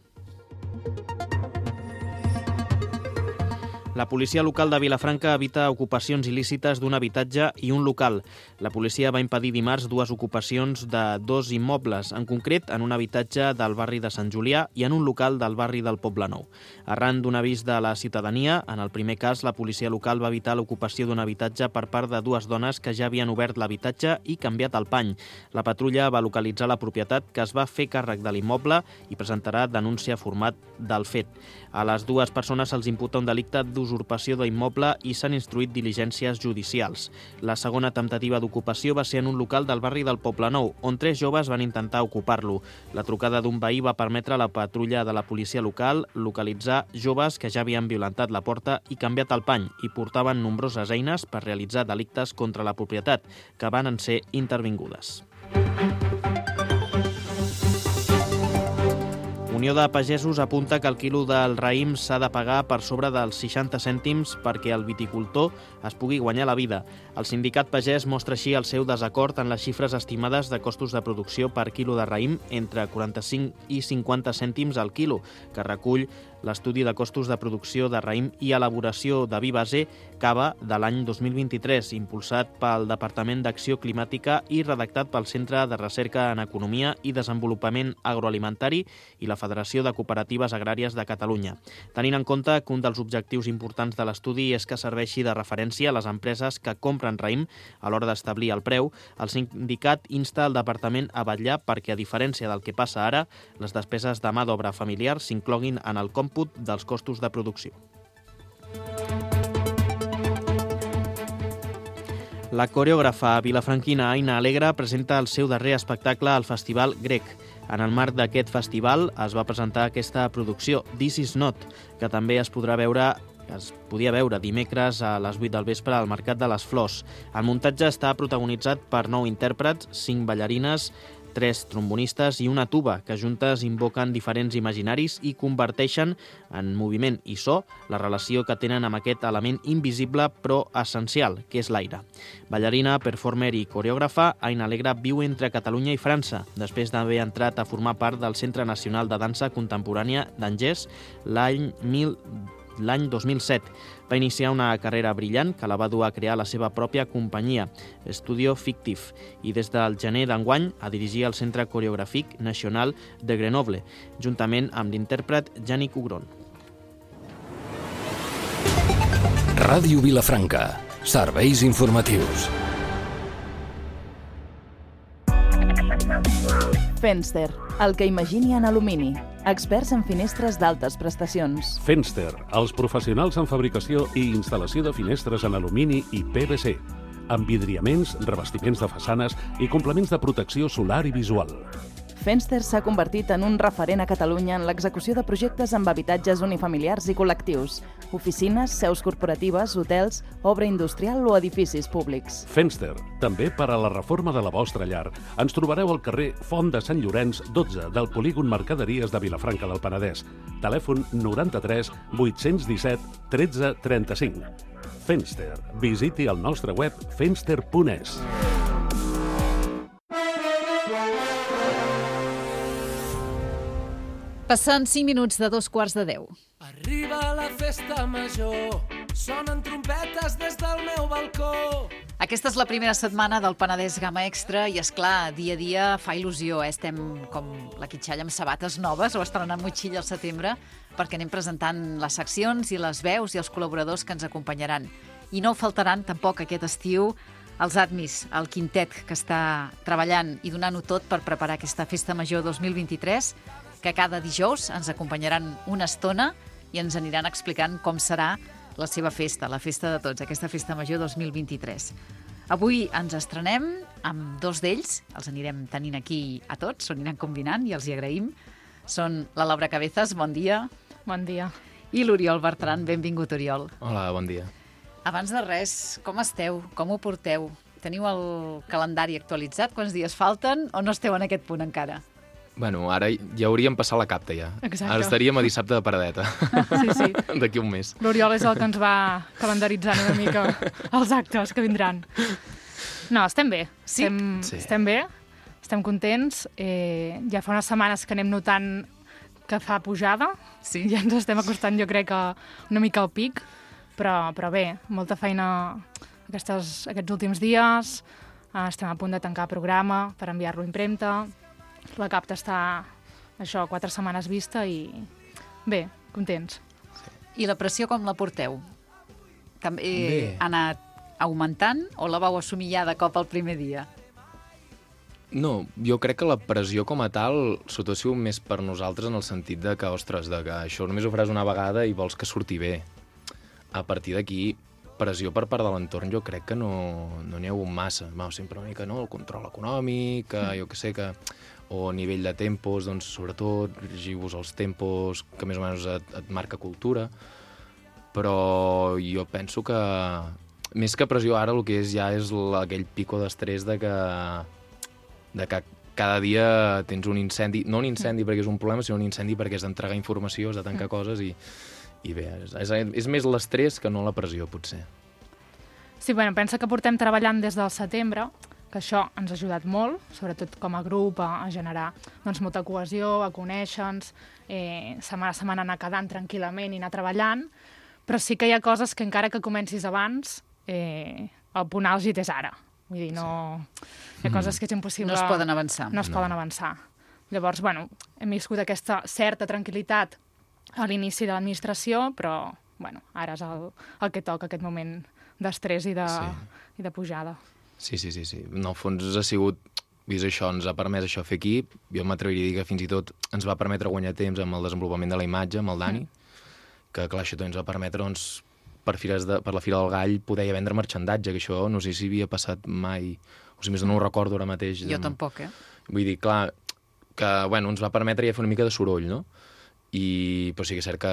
La policia local de Vilafranca evita ocupacions il·lícites d'un habitatge i un local. La policia va impedir dimarts dues ocupacions de dos immobles, en concret en un habitatge del barri de Sant Julià i en un local del barri del Poblenou. Arran d'un avís de la ciutadania, en el primer cas, la policia local va evitar l'ocupació d'un habitatge per part de dues dones que ja havien obert l'habitatge i canviat el pany. La patrulla va localitzar la propietat, que es va fer càrrec de l'immoble i presentarà denúncia format del fet. A les dues persones se'ls imputa un delicte d'usurpació d'immoble i s'han instruït diligències judicials. La segona temptativa d'ocupació va ser en un local del barri del Poblenou, on tres joves van intentar ocupar-lo. La trucada d'un veí va permetre a la patrulla de la policia local localitzar joves que ja havien violentat la porta i canviat el pany i portaven nombroses eines per realitzar delictes contra la propietat, que van ser intervingudes. Unió de Pagesos apunta que el quilo del raïm s'ha de pagar per sobre dels seixanta cèntims perquè el viticultor es pugui guanyar la vida. El sindicat pagès mostra així el seu desacord en les xifres estimades de costos de producció per quilo de raïm entre quaranta-cinc i cinquanta cèntims al quilo, que recull l'estudi de costos de producció de raïm i elaboració de vi base cava de l'any dos mil vint-i-tres, impulsat pel Departament d'Acció Climàtica i redactat pel Centre de Recerca en Economia i Desenvolupament Agroalimentari i la Federació de Cooperatives Agràries de Catalunya. Tenint en compte que un dels objectius importants de l'estudi és que serveixi de referència a les empreses que compren raïm a l'hora d'establir el preu, el sindicat insta el departament a vetllar perquè, a diferència del que passa ara, les despeses de mà d'obra familiar s'incloguin en el còmput dels costos de producció. La coreògrafa vilafranquina Aina Alegre presenta el seu darrer espectacle al Festival Grec. En el marc d'aquest festival es va presentar aquesta producció, This is Not, que també es podrà veure es podia veure dimecres a les vuit del vespre al Mercat de les Flors. El muntatge està protagonitzat per nou intèrprets, cinc ballarines, tres trombonistes i una tuba, que juntes invoquen diferents imaginaris i converteixen en moviment i so la relació que tenen amb aquest element invisible però essencial, que és l'aire. Ballarina, performer i coreògrafa, Aina Alegre viu entre Catalunya i França, després d'haver entrat a formar part del Centre Nacional de Dansa Contemporània d'Angers l'any mil L'any dos mil set va iniciar una carrera brillant que la va dur a crear la seva pròpia companyia, Studio Fictif, i des del gener d'enguany a dirigir el Centre Coreogràfic Nacional de Grenoble, juntament amb l'intèrpret Yannick Ugron. Ràdio Vilafranca. Serveis informatius. Fenster, el que imagini en alumini. Experts en finestres d'altes prestacions. Fenster, els professionals en fabricació i instal·lació de finestres en alumini i P V C, amb vidriaments, revestiments de façanes i complements de protecció solar i visual. Fenster s'ha convertit en un referent a Catalunya en l'execució de projectes amb habitatges unifamiliars i col·lectius, oficines, seus corporatives, hotels, obra industrial o edificis públics. Fenster, també per a la reforma de la vostra llar. Ens trobareu al carrer Font de Sant Llorenç, dotze, del polígon Mercaderies de Vilafranca del Penedès. Telèfon noranta-tres vuit-cents disset tretze trenta-cinc. Fenster. Visiti el nostre web fenster punt es. Passant cinc minuts de dos quarts de deu. Arriba la festa major, sonen trompetes des del meu balcó. Aquesta és la primera setmana del Penedès Gamma Extra i, és clar, dia a dia fa il·lusió. Eh? Estem com la quitxalla amb sabates noves o estrenant motxilla al setembre perquè anem presentant les seccions i les veus i els col·laboradors que ens acompanyaran. I no faltaran tampoc aquest estiu els Admis, el quintet que està treballant i donant-ho tot per preparar aquesta festa major dos mil vint-i-tres, que cada dijous ens acompanyaran una estona i ens aniran explicant com serà la seva festa, la festa de tots, aquesta festa major dos mil vint-i-tres. Avui ens estrenem amb dos d'ells, els anirem tenint aquí a tots, s'ho aniran combinant i els hi agraïm. Són la Laura Cabezas, bon dia. Bon dia. I l'Oriol Bertran, benvingut, Oriol. Hola, bon dia. Abans de res, com esteu? Com ho porteu? Teniu el calendari actualitzat? Quants dies falten o no esteu en aquest punt encara? Bueno, ara ja hauríem passat la capta, ja. Exacte. Ara estaríem a dissabte de paradeta. Sí, sí. D'aquí un mes. L'Oriol és el que ens va calendaritzant una mica els actes que vindran. No, estem bé. Sí? Estem, Sí. estem bé, estem contents. Eh, ja fa unes setmanes que anem notant que fa pujada. Sí. Ja ens estem acostant, jo crec, a una mica al pic. però, però bé, molta feina aquestes, aquests últims dies, uh, estem a punt de tancar programa per enviar-lo a impremta, la capta està, això, quatre setmanes vista i bé, contents. I la pressió com la porteu? També Bé. ha anat augmentant o la vau assumir ja de cop el primer dia? No, jo crec que la pressió com a tal sobretot ha sigut més per nosaltres en el sentit de que, ostres, de que això només ho faràs una vegada i vols que surti bé. A partir d'aquí, pressió per part de l'entorn jo crec que no n'hi no ha hagut massa. Va, sempre una mica, no?, el control econòmic, que jo que sé, que o a nivell de tempos, doncs, sobretot, regiu-vos els tempos que més o menys et, et marca cultura, però jo penso que més que pressió ara el que és ja és la, aquell pico d'estrès de que de que cada dia tens un incendi, no un incendi perquè és un problema, sinó un incendi perquè has d'entregar informació, has de tancar coses i, i bé, és, és, és més l'estrès que no la pressió, potser. Sí, bueno, pensa que portem treballant des del setembre, que això ens ha ajudat molt, sobretot com a grup, a, a generar doncs, molta cohesió, a conèixer-nos, eh, setmana a setmana anar quedant tranquil·lament i anar treballant, però sí que hi ha coses que encara que comencis abans, eh, el punt àlgid és ara. Vull dir, no... Hi ha coses que és impossible... No es poden avançar. No es No. poden avançar. Llavors, bueno, hem viscut aquesta certa tranquil·litat a l'inici de l'administració, però, bueno, ara és el, el que toca, aquest moment d'estrès i, de, Sí. i de pujada. Sí, sí, sí, sí. En el fons ha sigut, vist això, ens ha permès això fer equip. Jo m'atreviria a dir que fins i tot ens va permetre guanyar temps amb el desenvolupament de la imatge, amb el Dani, que clar, això també ens va permetre, doncs, per, fires de, per la Fira del Gall poder ja vendre marxandatge, que això no sé si havia passat mai, o sigui, més no ho recordo ara mateix. Jo tampoc, eh? Vull dir, clar, que bueno, ens va permetre ja fer una mica de soroll, no? I, però sí que és cert que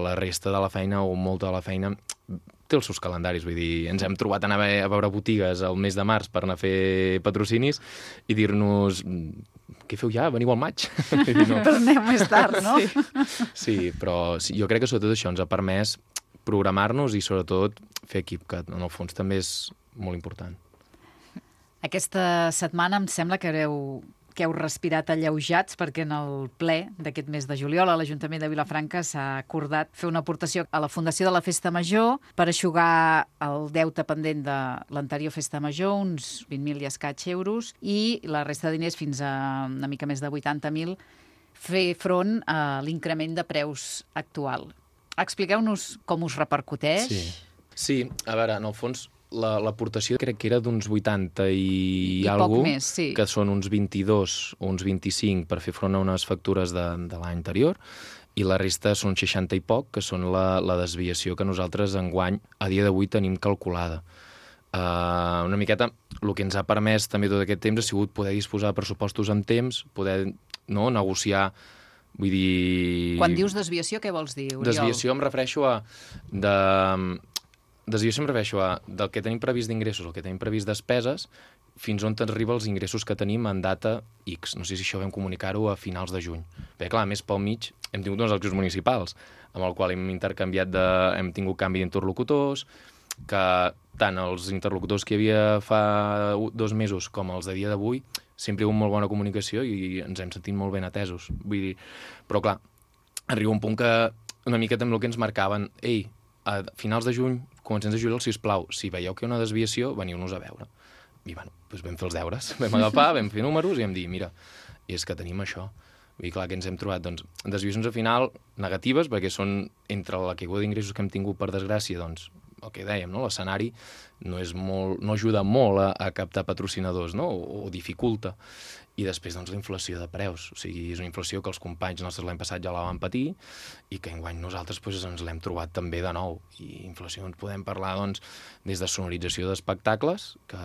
la resta de la feina, o molta de la feina, té els seus calendaris, vull dir, ens hem trobat a anar a veure botigues el mes de març per anar a fer patrocinis i dir-nos, què feu ja? Veniu al maig? No. Però aneu més tard, no? Sí, sí però sí, jo crec que sobretot això ens ha permès programar-nos i sobretot fer equip, que en el fons també és molt important. Aquesta setmana em sembla que heu, que heu respirat alleujats perquè en el ple d'aquest mes de juliol a l'Ajuntament de Vilafranca s'ha acordat fer una aportació a la Fundació de la Festa Major per eixugar el deute pendent de l'anterior Festa Major, uns vint mil i escaig euros, i la resta de diners fins a una mica més de vuitanta mil fer front a l'increment de preus actual. Expliqueu-nos com us repercuteix. Sí, sí, a veure, en el fons, l'aportació la, crec que era d'uns vuitanta i, I algú, poc més, sí. Que són uns vint-i-dos o uns vint-i-cinc per fer front a unes factures de, de l'any anterior, i la resta són seixanta i poc, que són la, la desviació que nosaltres enguany, a dia d'avui, tenim calculada. Uh, una miqueta, el que ens ha permès també tot aquest temps ha sigut poder disposar de pressupostos amb temps, poder no, negociar. Vull dir... Quan dius desviació, què vols dir, Oriol? Desviació em refereixo a... De... Desviació em refereixo a del que tenim previst d'ingressos, el que tenim previst despeses, fins on t'arriba els ingressos que tenim en data X. No sé si això vam comunicar-ho a finals de juny. Perquè, clar, més pel mig hem tingut uns eleccions municipals, amb el qual hem intercanviat de... hem tingut canvi d'interlocutors, que tant els interlocutors que hi havia fa dos mesos com els de dia d'avui sempre hi ha hagut molt bona comunicació i ens hem sentit molt ben atesos. Vull dir, però clar, arriba un punt que una mica també el que ens marcaven, ei, a finals de juny, comencem de juliol, sisplau, si veieu que hi ha una desviació, veniu-nos a veure. I bueno, doncs vam fer els deures, vam agafar, vam fer números i vam dir, mira, és que tenim això. Vull dir, clar, que ens hem trobat, doncs, desviacions al final negatives, perquè són entre la caiguda d'ingressos que hem tingut per desgràcia, doncs, el que dèiem, no? L'escenari no, és molt, no ajuda molt a, a captar patrocinadors, no? o, o dificulta. I després, doncs, la inflació de preus. O sigui, és una inflació que els companys nostres l'any passat ja la van patir i que enguany nosaltres doncs, ens l'hem trobat també de nou. I inflació ens podem parlar, doncs, des de sonorització d'espectacles, que,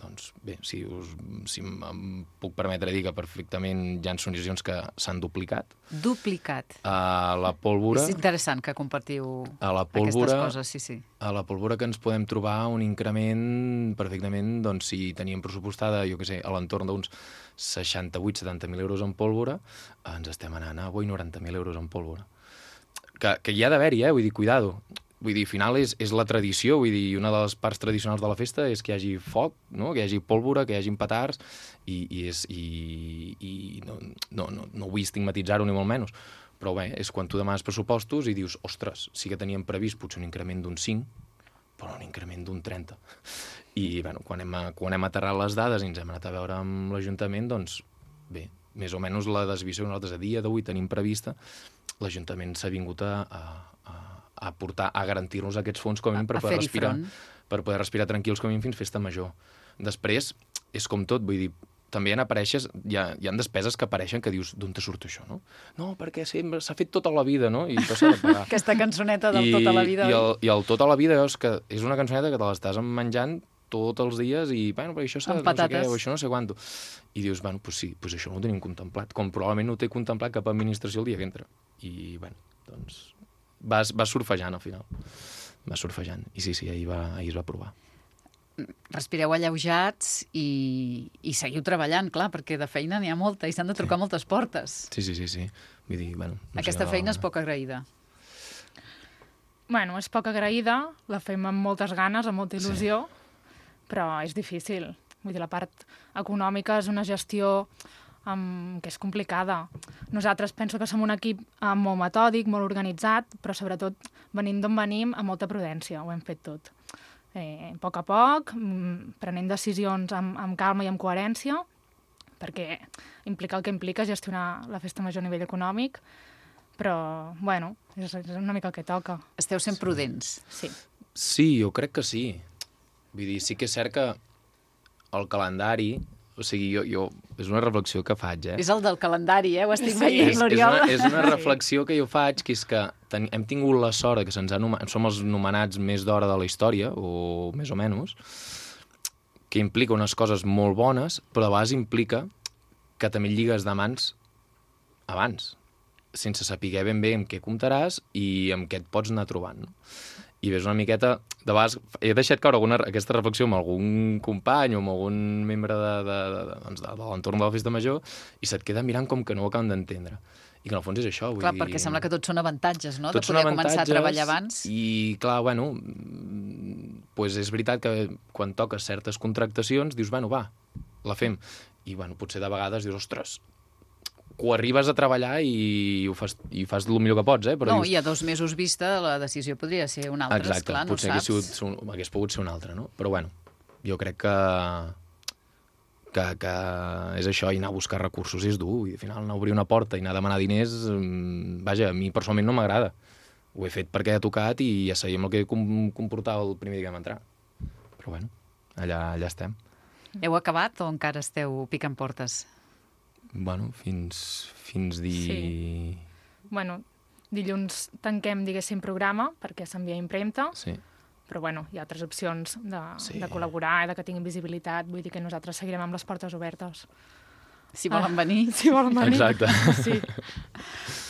doncs, bé, si, us, si em puc permetre dir que perfectament hi ha sonoritzacions que s'han duplicat. Duplicat. A la pólvora... És interessant que compartiu a la pólvora, aquestes coses, sí, sí. A la pólvora que ens podem trobar un increment perfectament, doncs, si teníem pressupostada, jo què sé, a l'entorn d'uns seixanta-vuit setanta mil euros en pólvora, ens estem anant a avui noranta mil euros en pólvora. Que, que hi ha d'haver-hi, eh? Vull dir, cuidado. Vull dir, al final és, és la tradició, vull dir, una de les parts tradicionals de la festa és que hi hagi foc, no? Que hi hagi pólvora, que hi hagi petards, i, i, és, i, i no, no, no, no vull estigmatitzar-ho ni molt menys, Però bé, és quan tu demanes pressupostos i dius, ostres, sí que teníem previst potser un increment d'un cinc, però un increment d'un trenta. I bueno, quan hem, quan hem aterrat les dades i ens hem anat a veure amb l'Ajuntament, doncs bé, més o menys la desviació que nosaltres a dia d'avui tenim prevista, l'Ajuntament s'ha vingut a, a, a portar, a garantir-nos aquests fons com a mínim per poder respirar, per poder respirar tranquils com a mínim fins festa major. Després, és com tot, vull dir, també hi ha, apareixes, hi ha, hi ha despeses que apareixen que dius, d'on te surt això, no? No, perquè s'ha fet tota la vida, no? I això s'ha de pagar. Aquesta cançoneta del I, tota la vida. I el, i el tota la vida és que és una cançoneta que te l'estàs menjant tots els dies i, bueno, però això s'ha no sé què, o això no sé quanto. I dius, bueno, doncs sí, doncs això no ho tenim contemplat, com probablement no ho té contemplat cap administració el dia que entra. I, bueno, doncs vas, vas surfejant al final. Vas surfejant. I sí, sí, ahir, va, ahir es va provar. Respireu alleujats i, i seguiu treballant, clar, perquè de feina n'hi ha molta i s'han de trucar sí. moltes portes. Sí, sí, sí, sí. Vull dir, bueno, no Aquesta sé, feina no... és poc agraïda. Bueno, és poc agraïda, la fem amb moltes ganes, amb molta il·lusió, sí. però és difícil. Vull dir, la part econòmica és una gestió um, que és complicada. Nosaltres penso que som un equip um, molt metòdic, molt organitzat, però sobretot venint d'on venim amb molta prudència, ho hem fet tot. Eh, a poc a poc, prenent decisions amb, amb calma i amb coherència, perquè implica el que implica gestionar la festa major a nivell econòmic, però, bueno, és, és una mica el que toca. Esteu sent prudents. Sí. Sí, jo crec que sí. Vull dir, sí que és cert que el calendari... O sigui, jo, jo, és una reflexió que faig, eh? És el del calendari, eh? Ho estic sí. veient, és, l'Oriol. És una, és una reflexió que jo faig, que és que ten, hem tingut la sort que se'ns ha nomenat, som els nomenats més d'hora de la història, o més o menys, que implica unes coses molt bones, però a vegades implica que també lligues de mans abans, sense saber ben bé amb què comptaràs i amb què et pots anar trobant, no? I ves una miqueta... De vegades he deixat caure alguna, aquesta reflexió amb algun company o amb algun membre de, de, de, de, doncs de, de l'entorn de la festa major i se't queda mirant com que no ho acaben d'entendre. I que en el fons és això. Vull clar, dir... perquè sembla que tots són avantatges, no? Tots de poder començar a treballar abans. I, clar, bueno, pues és veritat que quan toques certes contractacions dius, bueno, va, la fem. I, bueno, potser de vegades dius, ostres, ho arribes a treballar i ho fas, i fas el millor que pots, eh? Però no, dius... i a dos mesos vista la decisió podria ser una altra, exacte, esclar, no potser saps. Hagués, sigut, hagués pogut ser una altra, no? Però, bueno, jo crec que, que, que és això, i anar a buscar recursos és dur, i al final anar a obrir una porta i anar a demanar diners, vaja, a mi personalment no m'agrada. Ho he fet perquè ha tocat i ja sabíem el que comportava el primer dia que vam entrar. Però, bueno, allà, allà estem. Heu acabat o encara esteu picant portes? Bueno, fins, fins dir... Sí. Bueno, dilluns tanquem, diguéssim, programa, perquè s'envia a impremta, sí. però bueno, hi ha altres opcions de, sí. de col·laborar, de que tinguin visibilitat, vull dir que nosaltres seguirem amb les portes obertes. Si volen venir. Si volen venir. Exacte. Sí.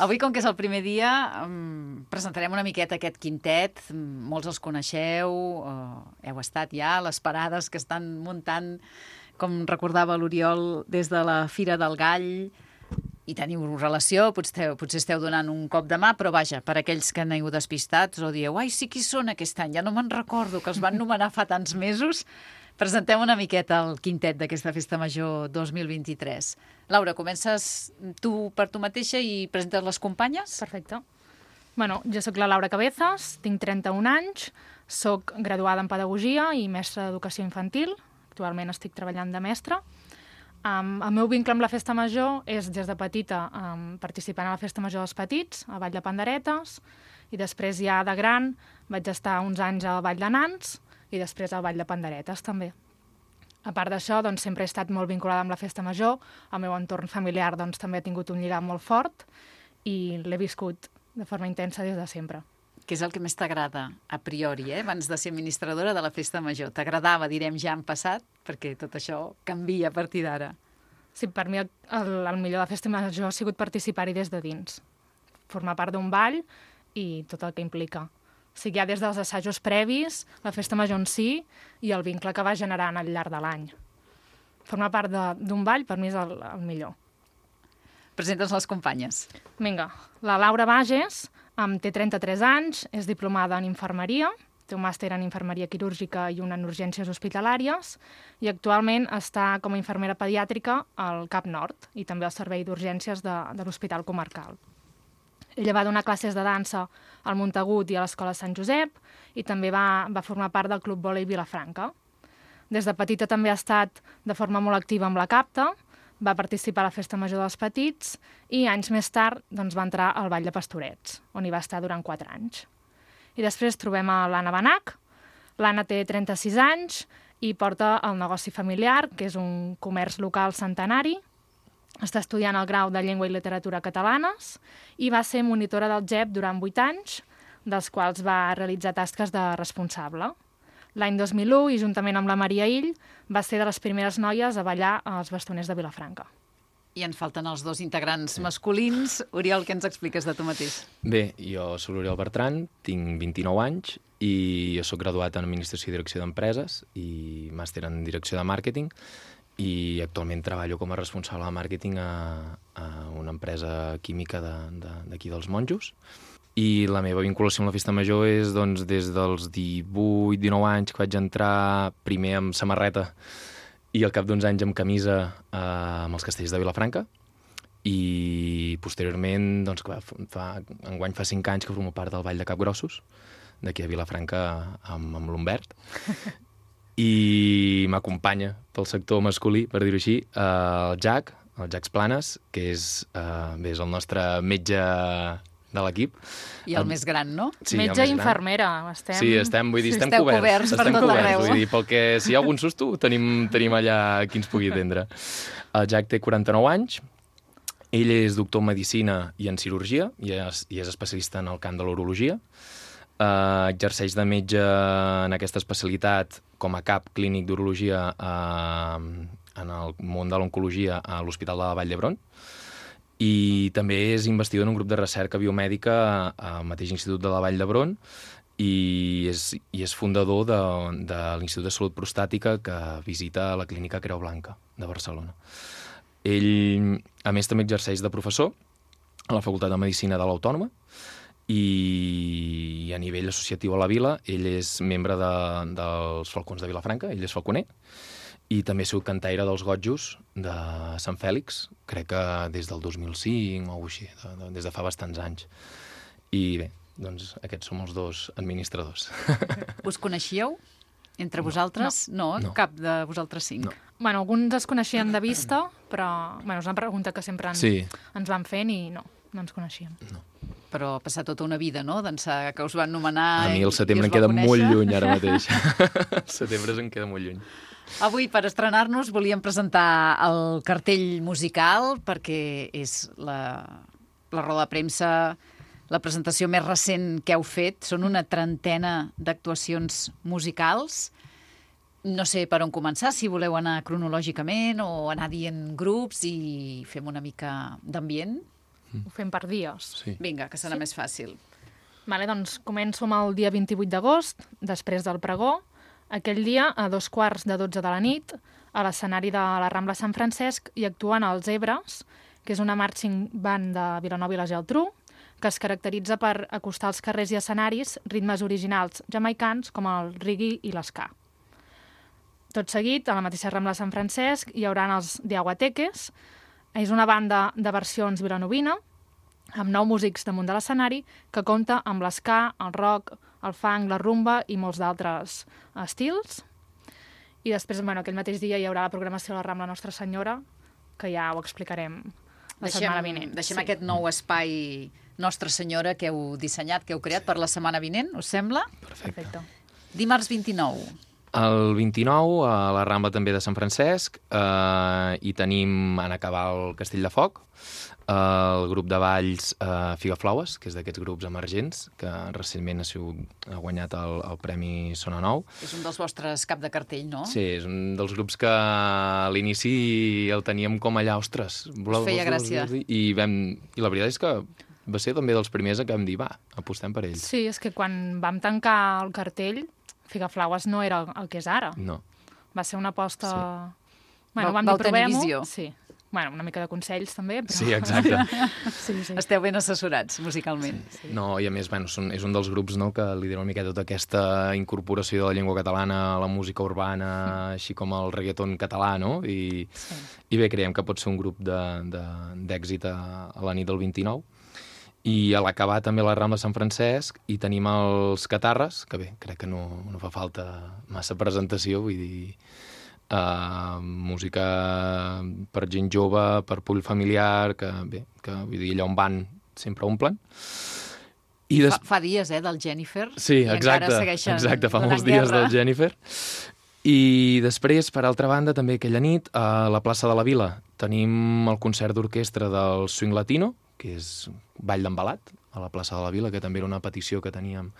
Avui, com que és el primer dia, um, presentarem una miqueta aquest quintet. Molts els coneixeu, uh, heu estat ja a les parades que estan muntant, com recordava l'Oriol, des de la Fira del Gall, i teniu relació, potser, potser esteu donant un cop de mà, però vaja, per aquells que aneu despistats o dieu, ai, sí, qui són aquest any? Ja no me'n recordo, que els van nomenar fa tants mesos. Presentem una miqueta el quintet d'aquesta Festa Major dos mil vint-i-tres. Laura, comences tu per tu mateixa i presentes les companyes? Perfecte. Bueno, jo sóc la Laura Cabezas, tinc trenta-un anys, sóc graduada en Pedagogia i mestra d'Educació Infantil. Actualment estic treballant de mestra. Um, el meu vincle amb la Festa Major és, des de petita, um, participant a la Festa Major dels Petits, a Vall de Panderetes, i després ja de gran vaig estar uns anys a Vall de Nans i després al Vall de Panderetes també. A part d'això, doncs, sempre he estat molt vinculada amb la Festa Major, el meu entorn familiar doncs, també ha tingut un lligam molt fort i l'he viscut de forma intensa des de sempre. Què és el que més t'agrada, a priori, eh? Abans de ser administradora de la Festa Major? T'agradava, direm, ja en passat? Perquè tot això canvia a partir d'ara. Sí, per mi el, el millor de la Festa Major ha sigut participar-hi des de dins. Formar part d'un ball i tot el que implica. O sigui, ja des dels assajos previs, la Festa Major en si i el vincle que va generant al llarg de l'any. Formar part d'un ball per mi és el, el millor. Presentes les companyes. Vinga, la Laura Bages, amb, té trenta-tres anys, és diplomada en infermeria, té un màster en infermeria quirúrgica i una en urgències hospitalàries, i actualment està com a infermera pediàtrica al Cap Nord i també al servei d'urgències de, de l'Hospital Comarcal. Ella va donar classes de dansa al Montagut i a l'Escola Sant Josep i també va, va formar part del Club Vòlei Vilafranca. Des de petita també ha estat de forma molt activa amb la CAPTA, va participar a la Festa Major dels Petits i anys més tard doncs, va entrar al Ball de Pastorets, on hi va estar durant quatre anys. I després trobem a l'Anna Benach. L'Anna té trenta-sis anys i porta el negoci familiar, que és un comerç local centenari. Està estudiant el grau de Llengua i Literatura Catalanes i va ser monitora del G E P durant vuit anys, dels quals va realitzar tasques de responsable. L'any dos mil u, i juntament amb la Maria Ill, va ser de les primeres noies a ballar als bastoners de Vilafranca. I ens falten els dos integrants masculins. Oriol, què ens expliques de tu mateix? Bé, jo soc l'Oriol Bertran, tinc vint-i-nou anys i jo soc graduat en Administració i Direcció d'Empreses i màster en Direcció de Màrqueting i actualment treballo com a responsable de màrqueting a, a una empresa química d'aquí de, de, dels Monjos. I la meva vinculació amb la Festa Major és doncs, des dels divuit dinou anys que vaig entrar primer amb samarreta i al cap d'uns anys amb camisa eh, amb els castells de Vilafranca i posteriorment, doncs, que fa, enguany fa cinc anys que formo part del Ball de Capgrossos, d'aquí a Vilafranca amb, amb l'Humbert. I m'acompanya pel sector masculí, per dir-ho així, el Jack, el Jack Planes, que és, eh, bé, és el nostre metge de l'equip. I el um, més gran, no? Sí, metge i infermera. Estem... Sí, estem, vull dir, estem Esteu coberts. coberts per estem tot coberts, arreu. Vull dir, pel que, si hi ha algun susto, tenim, tenim allà qui ens pugui atendre. El Jack té quaranta-nou anys, ell és doctor en Medicina i en Cirurgia, i és, i és especialista en el camp de l'urologia. Uh, exerceix de metge en aquesta especialitat com a cap clínic d'urologia uh, en el món de l'oncologia a l'Hospital de la Vall d'Hebron i també és investigador en un grup de recerca biomèdica al mateix Institut de la Vall d'Hebron i és, i és fundador de, de l'Institut de Salut Prostàtica que visita la clínica Creu Blanca de Barcelona. Ell, a més, també exerceix de professor a la Facultat de Medicina de l'Autònoma i a nivell associatiu a la vila ell és membre de, dels Falcons de Vilafranca, ell és falconer i també ha sigut cantaire dels Gotjos de Sant Fèlix, crec que des del dos mil cinc o així, de, de, des de fa bastants anys. I bé, doncs aquests som els dos administradors. Us coneixíeu entre vosaltres? No, no, no. Cap de vosaltres cinc. No. Bueno, alguns es coneixien de vista, però bueno, és una pregunta que sempre ens, sí. ens van fent i no, no ens coneixíem. No. Però ha passat tota una vida, no?, d'ençà que us van nomenar... A mi el setembre em queda molt lluny ara mateix. El setembre em queda molt lluny. Avui, per estrenar-nos, volíem presentar el cartell musical perquè és la, la roda de premsa, la presentació més recent que heu fet. Són una trentena d'actuacions musicals. No sé per on començar, si voleu anar cronològicament o anar dient grups i fem una mica d'ambient. Ho fem per dies. Sí. Vinga, que serà sí. més fàcil. Vale, doncs començo amb el dia vint-i-vuit d'agost, després del pregó. Aquell dia, a dos quarts de dotze de la nit, a l'escenari de la Rambla Sant Francesc hi actuen els Ebres, que és una marching band de Vilanova i la Geltrú, que es caracteritza per acostar als carrers i escenaris ritmes originals jamaicans com el reggae i l'esca. Tot seguit, a la mateixa Rambla Sant Francesc, hi haurà els de Aguateques. És una banda de versions vilanovina, amb nou músics damunt de l'escenari, que compta amb l'esca, el rock, el funk, la rumba i molts d'altres estils. I després, bueno, aquell mateix dia hi haurà la programació de la Rambla Nostra Senyora, que ja ho explicarem la deixem, setmana vinent. Deixem sí. aquest nou espai Nostra Senyora que heu dissenyat, que heu creat per la setmana vinent, us sembla? Perfecte. Perfecte. Dimarts vint-i-nou. El vint-i-nou, a la Rambla també de Sant Francesc, eh, hi tenim en acabar el Castell de Foc, el grup de balls eh, Figaflaues, que és d'aquests grups emergents, que recentment ha, sigut, ha guanyat el, el Premi Sona Nou. És un dels vostres cap de cartell, no? Sí, és un dels grups que a l'inici el teníem com allà, ostres. Us feia gràcia. I, vam, I la veritat és que va ser també dels primers que vam dir, va, apostem per ells. Sí, és que quan vam tancar el cartell, Figaflaues no era el que és ara. No. Va ser una aposta... Sí. Bueno, va, vam dir, provem-ho. Sí. Bueno, una mica de consells, també. Però... Sí, exacte. sí, sí. Esteu ben assessorats, musicalment. Sí, sí. No, i a més, bueno, són, és un dels grups, no, que lidera una mica tota aquesta incorporació de la llengua catalana a la música urbana, mm. així com el reggaeton català, no? I, sí. I bé, creiem que pot ser un grup d'èxit a, a la nit del vint-i-nou. I a l'acabar també la Rambla de Sant Francesc i tenim els Catarres, que bé, crec que no, no fa falta massa presentació, vull dir, uh, música per gent jove, per públic familiar, que bé, que vull dir, allà on van sempre omplen. I des... fa, fa dies, eh, del Jennifer. Sí, exacte, exacte, fa molts dies del Jennifer. I després, per altra banda, també aquella nit, a la plaça de la Vila, tenim el concert d'orquestra del Swing Latino, que és ball d'embalat, a la plaça de la Vila, que també era una petició que teníem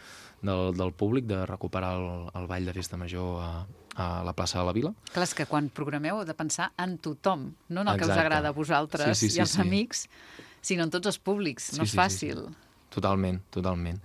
del, del públic, de recuperar el, el ball de festa major a, a la plaça de la Vila. Clar, és que quan programeu heu de pensar en tothom, no en el Exacte. Que us agrada a vosaltres sí, sí, sí, i als sí. amics, sinó en tots els públics. Sí, no és sí, fàcil. Sí, sí. Totalment, totalment.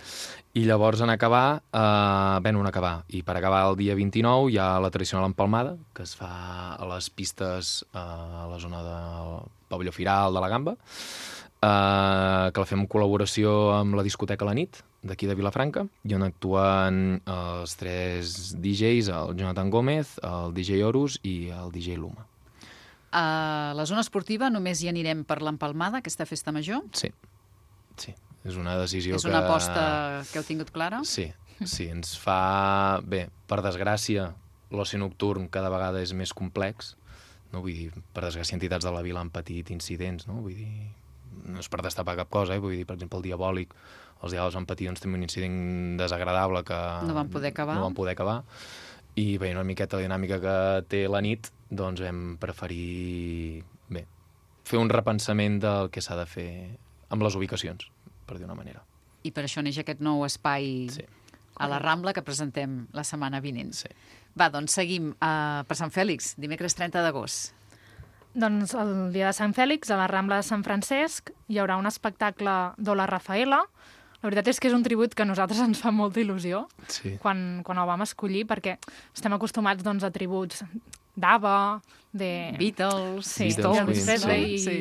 I llavors en acabar, eh, bé, en acabar, i per acabar el dia vint-i-nou hi ha la tradicional empalmada, que es fa a les pistes eh, a la zona del pavelló Firal de la Gamba, eh, que la fem en col·laboració amb la discoteca La Nit, d'aquí de Vilafranca, i on actuen els tres D Js, el Jonathan Gómez, el D J Horus i el D J Luma. A la zona esportiva només hi anirem per l'empalmada, aquesta festa major? Sí, sí. És una decisió que... És una aposta que heu tingut clara? Sí, sí, ens fa... Bé, per desgràcia, l'oci nocturn cada vegada és més complex, no? Vull dir, per desgràcia, entitats de la vila han patit incidents, no? Vull dir, no és per destapar cap cosa, eh? Vull dir, per exemple, el Diabòlic, els Diables van patir doncs, també un incident desagradable que... No van poder acabar. No van poder acabar. I bé, una miqueta la dinàmica que té la nit, doncs vam preferir, bé, fer un repensament del que s'ha de fer amb les ubicacions, per dir una manera. I per això neix aquest nou espai sí. a la Rambla que presentem la setmana vinent. Sí. Va, doncs seguim uh, per Sant Fèlix, dimecres trenta d'agost. Doncs el dia de Sant Fèlix, a la Rambla de Sant Francesc, hi haurà un espectacle d'Ola Rafaela. La veritat és que és un tribut que a nosaltres ens fa molta il·lusió sí. quan, quan el vam escollir, perquè estem acostumats doncs, a tributs d'Ava, de... Beatles, sí, Stones, Elvis Presley, i, sí.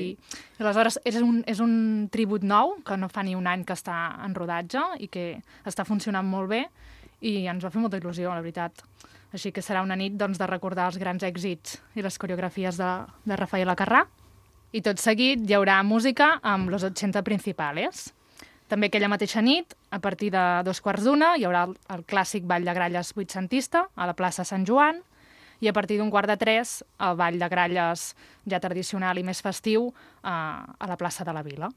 i aleshores és un, és un tribut nou que no fa ni un any que està en rodatge i que està funcionant molt bé i ens va fer molta il·lusió, la veritat. Així que serà una nit doncs, de recordar els grans èxits i les coreografies de, de Rafael Acarrà. I tot seguit hi haurà música amb Los ochenta Principales. També aquella mateixa nit, a partir de dos quarts d'una, hi haurà el, el clàssic Ball de Gralles vuitcentista a la plaça Sant Joan, i a partir d'un quart de tres, el ball de gralles ja tradicional i més festiu a, a la plaça de la Vila.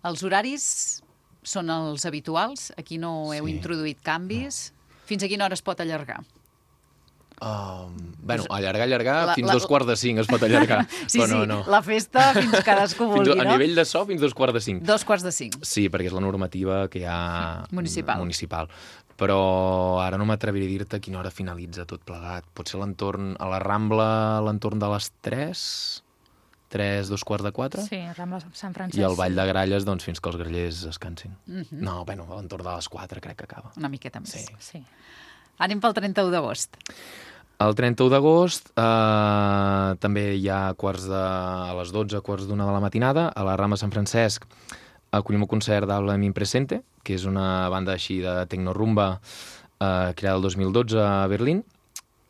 Els horaris són els habituals? Aquí no heu sí. introduït canvis? No. Fins a quina hora es pot allargar? Um, bueno, allargar, allargar, la, fins la, dos quarts de cinc es pot allargar. sí, però no, sí, no. La festa fins cadascú vulgui, fins, no? A nivell de so, fins dos quarts de cinc. Dos quarts de cinc. Sí, perquè és la normativa que hi ha municipal. municipal. Però ara no m'atreviré a dir-te a quina hora finalitza tot plegat. Potser l'entorn, a la Rambla, l'entorn de les tres, tres, dos quarts de quatre. Sí, Rambla Sant Francesc. I el Ball de Gralles, doncs, fins que els grallers descansin. Mm -hmm. No, bueno, a l'entorn de les quatre crec que acaba. Una miqueta més. Sí. sí. Anem pel trenta-u d'agost. El trenta-u d'agost eh, també hi ha quarts de, a les dotze, quarts d'una de la matinada, a la Rambla Sant Francesc acollim un concert d'Habla Mi Presente, que és una banda així de tecno-rumba eh, creada el dos mil dotze a Berlín,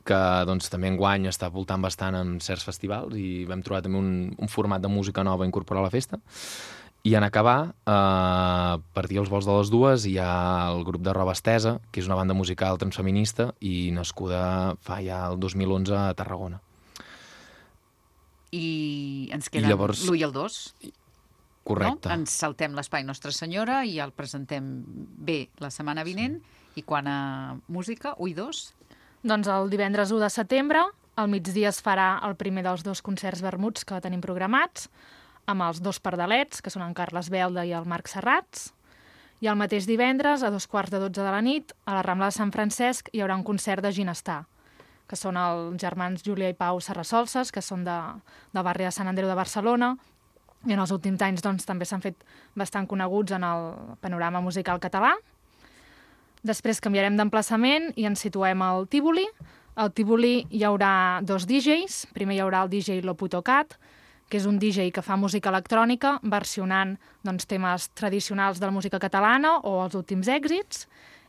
que doncs, també enguany està voltant bastant en certs festivals i vam trobar també un, un format de música nova a incorporar a la festa. I en acabar, eh, a partir dels vols de les dues, hi ha el grup de Roba Estesa, que és una banda musical transfeminista i nascuda fa ja el dos mil onze a Tarragona. I ens queden llavors... l'u i el dos. Correcte. No? Ens saltem l'Espai Nostra Senyora i el presentem bé la setmana vinent. Sí. I quan a música, u i dos? Doncs el divendres u de setembre, al migdia es farà el primer dels dos concerts vermuts que tenim programats, amb els dos pardalets, que són en Carles Belda i el Marc Serrats. I el mateix divendres, a dos quarts de dotze de la nit, a la Rambla de Sant Francesc, hi haurà un concert de Ginestar, que són els germans Júlia i Pau Serrasolses, que són de, del barri de Sant Andreu de Barcelona, i en els últims anys doncs, també s'han fet bastant coneguts en el panorama musical català. Després canviarem d'emplaçament i ens situem al Tívoli. Al Tívoli hi haurà dos D Js. Primer hi haurà el D J Loputocat, que és un D J que fa música electrònica versionant doncs, temes tradicionals de la música catalana o els últims èxits,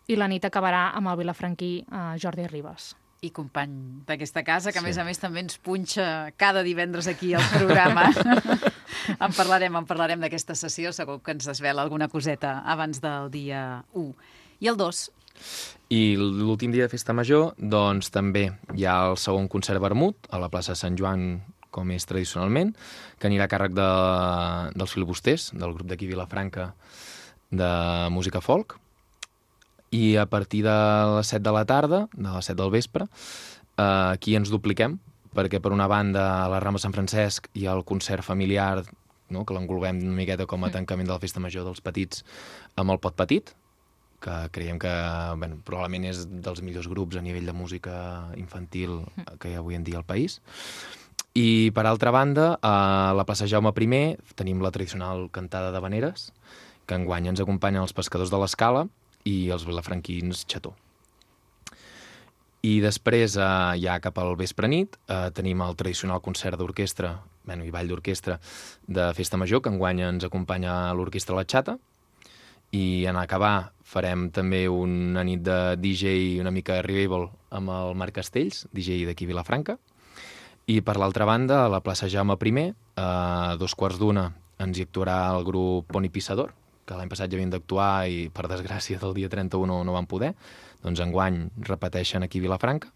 i la nit acabarà amb el vilafranquí eh, Jordi Ribas. i company d'aquesta casa, que a Sí. més a més també ens punxa cada divendres aquí al programa. en parlarem, en parlarem d'aquesta sessió, segur que ens desvela alguna coseta abans del dia u. I el dos? I l'últim dia de Festa Major, doncs també hi ha el segon concert vermut a la plaça Sant Joan, com és tradicionalment, que anirà a càrrec de, dels filibusters, del grup d'aquí Vilafranca de música folk. I a partir de les set de la tarda, de les set del vespre, eh, aquí ens dupliquem, perquè per una banda a la Rambla Sant Francesc hi ha el concert familiar, no?, que l'engolbem una miqueta com a tancament de la Festa Major dels petits amb el Pot Petit, que creiem que bueno, probablement és dels millors grups a nivell de música infantil que hi ha avui en dia al país. I, per altra banda, a la plaça Jaume primer tenim la tradicional cantada d'havaneres, que enguany ens acompanyen els pescadors de l'Escala i els vilafranquins Xató. I després, eh, ja cap al vespre nit, eh, tenim el tradicional concert d'orquestra, bueno, i ball d'orquestra de Festa Major, que enguany ens acompanya l'orquestra La Xata, i en acabar farem també una nit de D J una mica revival amb el Marc Castells, D J d'aquí Vilafranca. I per l'altra banda, a la plaça Jaume primer, a dos quarts d'una, ens hi actuarà el grup Poni Pissador, que l'any passat ja havien d'actuar i, per desgràcia, del dia trenta-u no, no van poder. Doncs enguany repeteixen aquí a Vilafranca.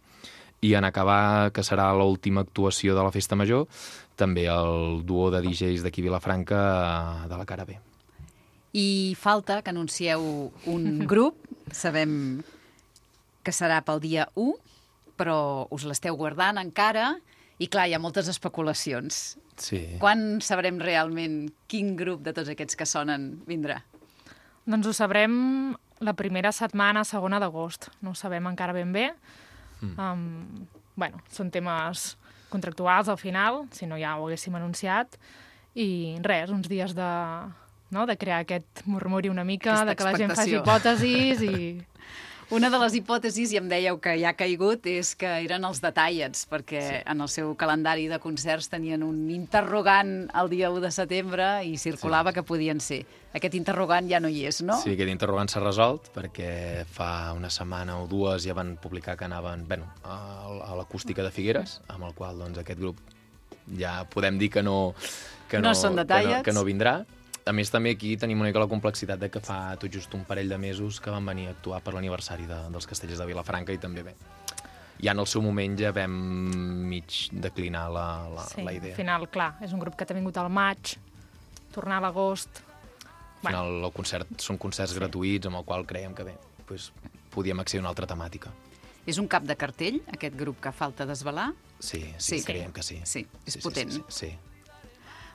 I en acabar, que serà l'última actuació de la Festa Major, també el duo de D Js d'aquí a Vilafranca de la cara B. I falta que anuncieu un grup, sabem que serà pel dia u, però us l'esteu guardant encara, i clar, hi ha moltes especulacions. Sí. Quan sabrem realment quin grup de tots aquests que sonen vindrà? Doncs ho sabrem la primera setmana, segona d'agost. No ho sabem encara ben bé. Mm. Um, bueno, són temes contractuals al final, si no ja ho haguéssim anunciat. I res, uns dies de, no, de crear aquest murmuri una mica, Aquesta de que la gent faci expectació. hipòtesis i... Una de les hipòtesis, i em dèieu que ja ha caigut, és que eren els detallets, perquè sí. en el seu calendari de concerts tenien un interrogant el dia u de setembre i circulava sí. que podien ser. Aquest interrogant ja no hi és, no? Sí, aquest interrogant s'ha resolt, perquè fa una setmana o dues ja van publicar que anaven bueno, a, a l'acústica de Figueres, amb el qual doncs, aquest grup ja podem dir que no, que no, No són detallets. que no, que no vindrà. A més, també aquí tenim una mica la complexitat de que fa tot just un parell de mesos que van venir a actuar per l'aniversari de, dels Castellers de Vilafranca i també bé. Ja en el seu moment ja vam mig declinar la, la, sí, la idea. Al final, clar, és un grup que ha vingut al maig, tornar a l'agost... Al final, el concert són concerts sí. gratuïts, amb el qual creiem que bé, doncs, podíem accedir a una altra temàtica. És un cap de cartell, aquest grup que falta desvelar? Sí, sí, sí. creiem que sí. Sí, és sí, potent. Sí, sí, sí.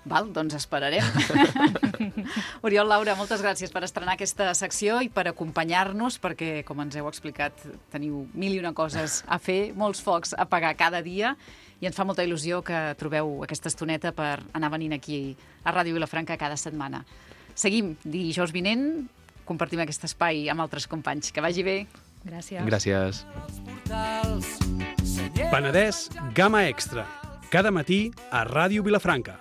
Val, doncs esperarem. Oriol, Laura, moltes gràcies per estrenar aquesta secció i per acompanyar-nos, perquè, com ens heu explicat, teniu mil i una coses a fer, molts focs a apagar cada dia, i ens fa molta il·lusió que trobeu aquesta estoneta per anar venint aquí a Ràdio Vilafranca cada setmana. Seguim dijous vinent, compartim aquest espai amb altres companys. Que vagi bé. Gràcies. Gràcies. Penedès Gamma Extra. Cada matí a Ràdio Vilafranca.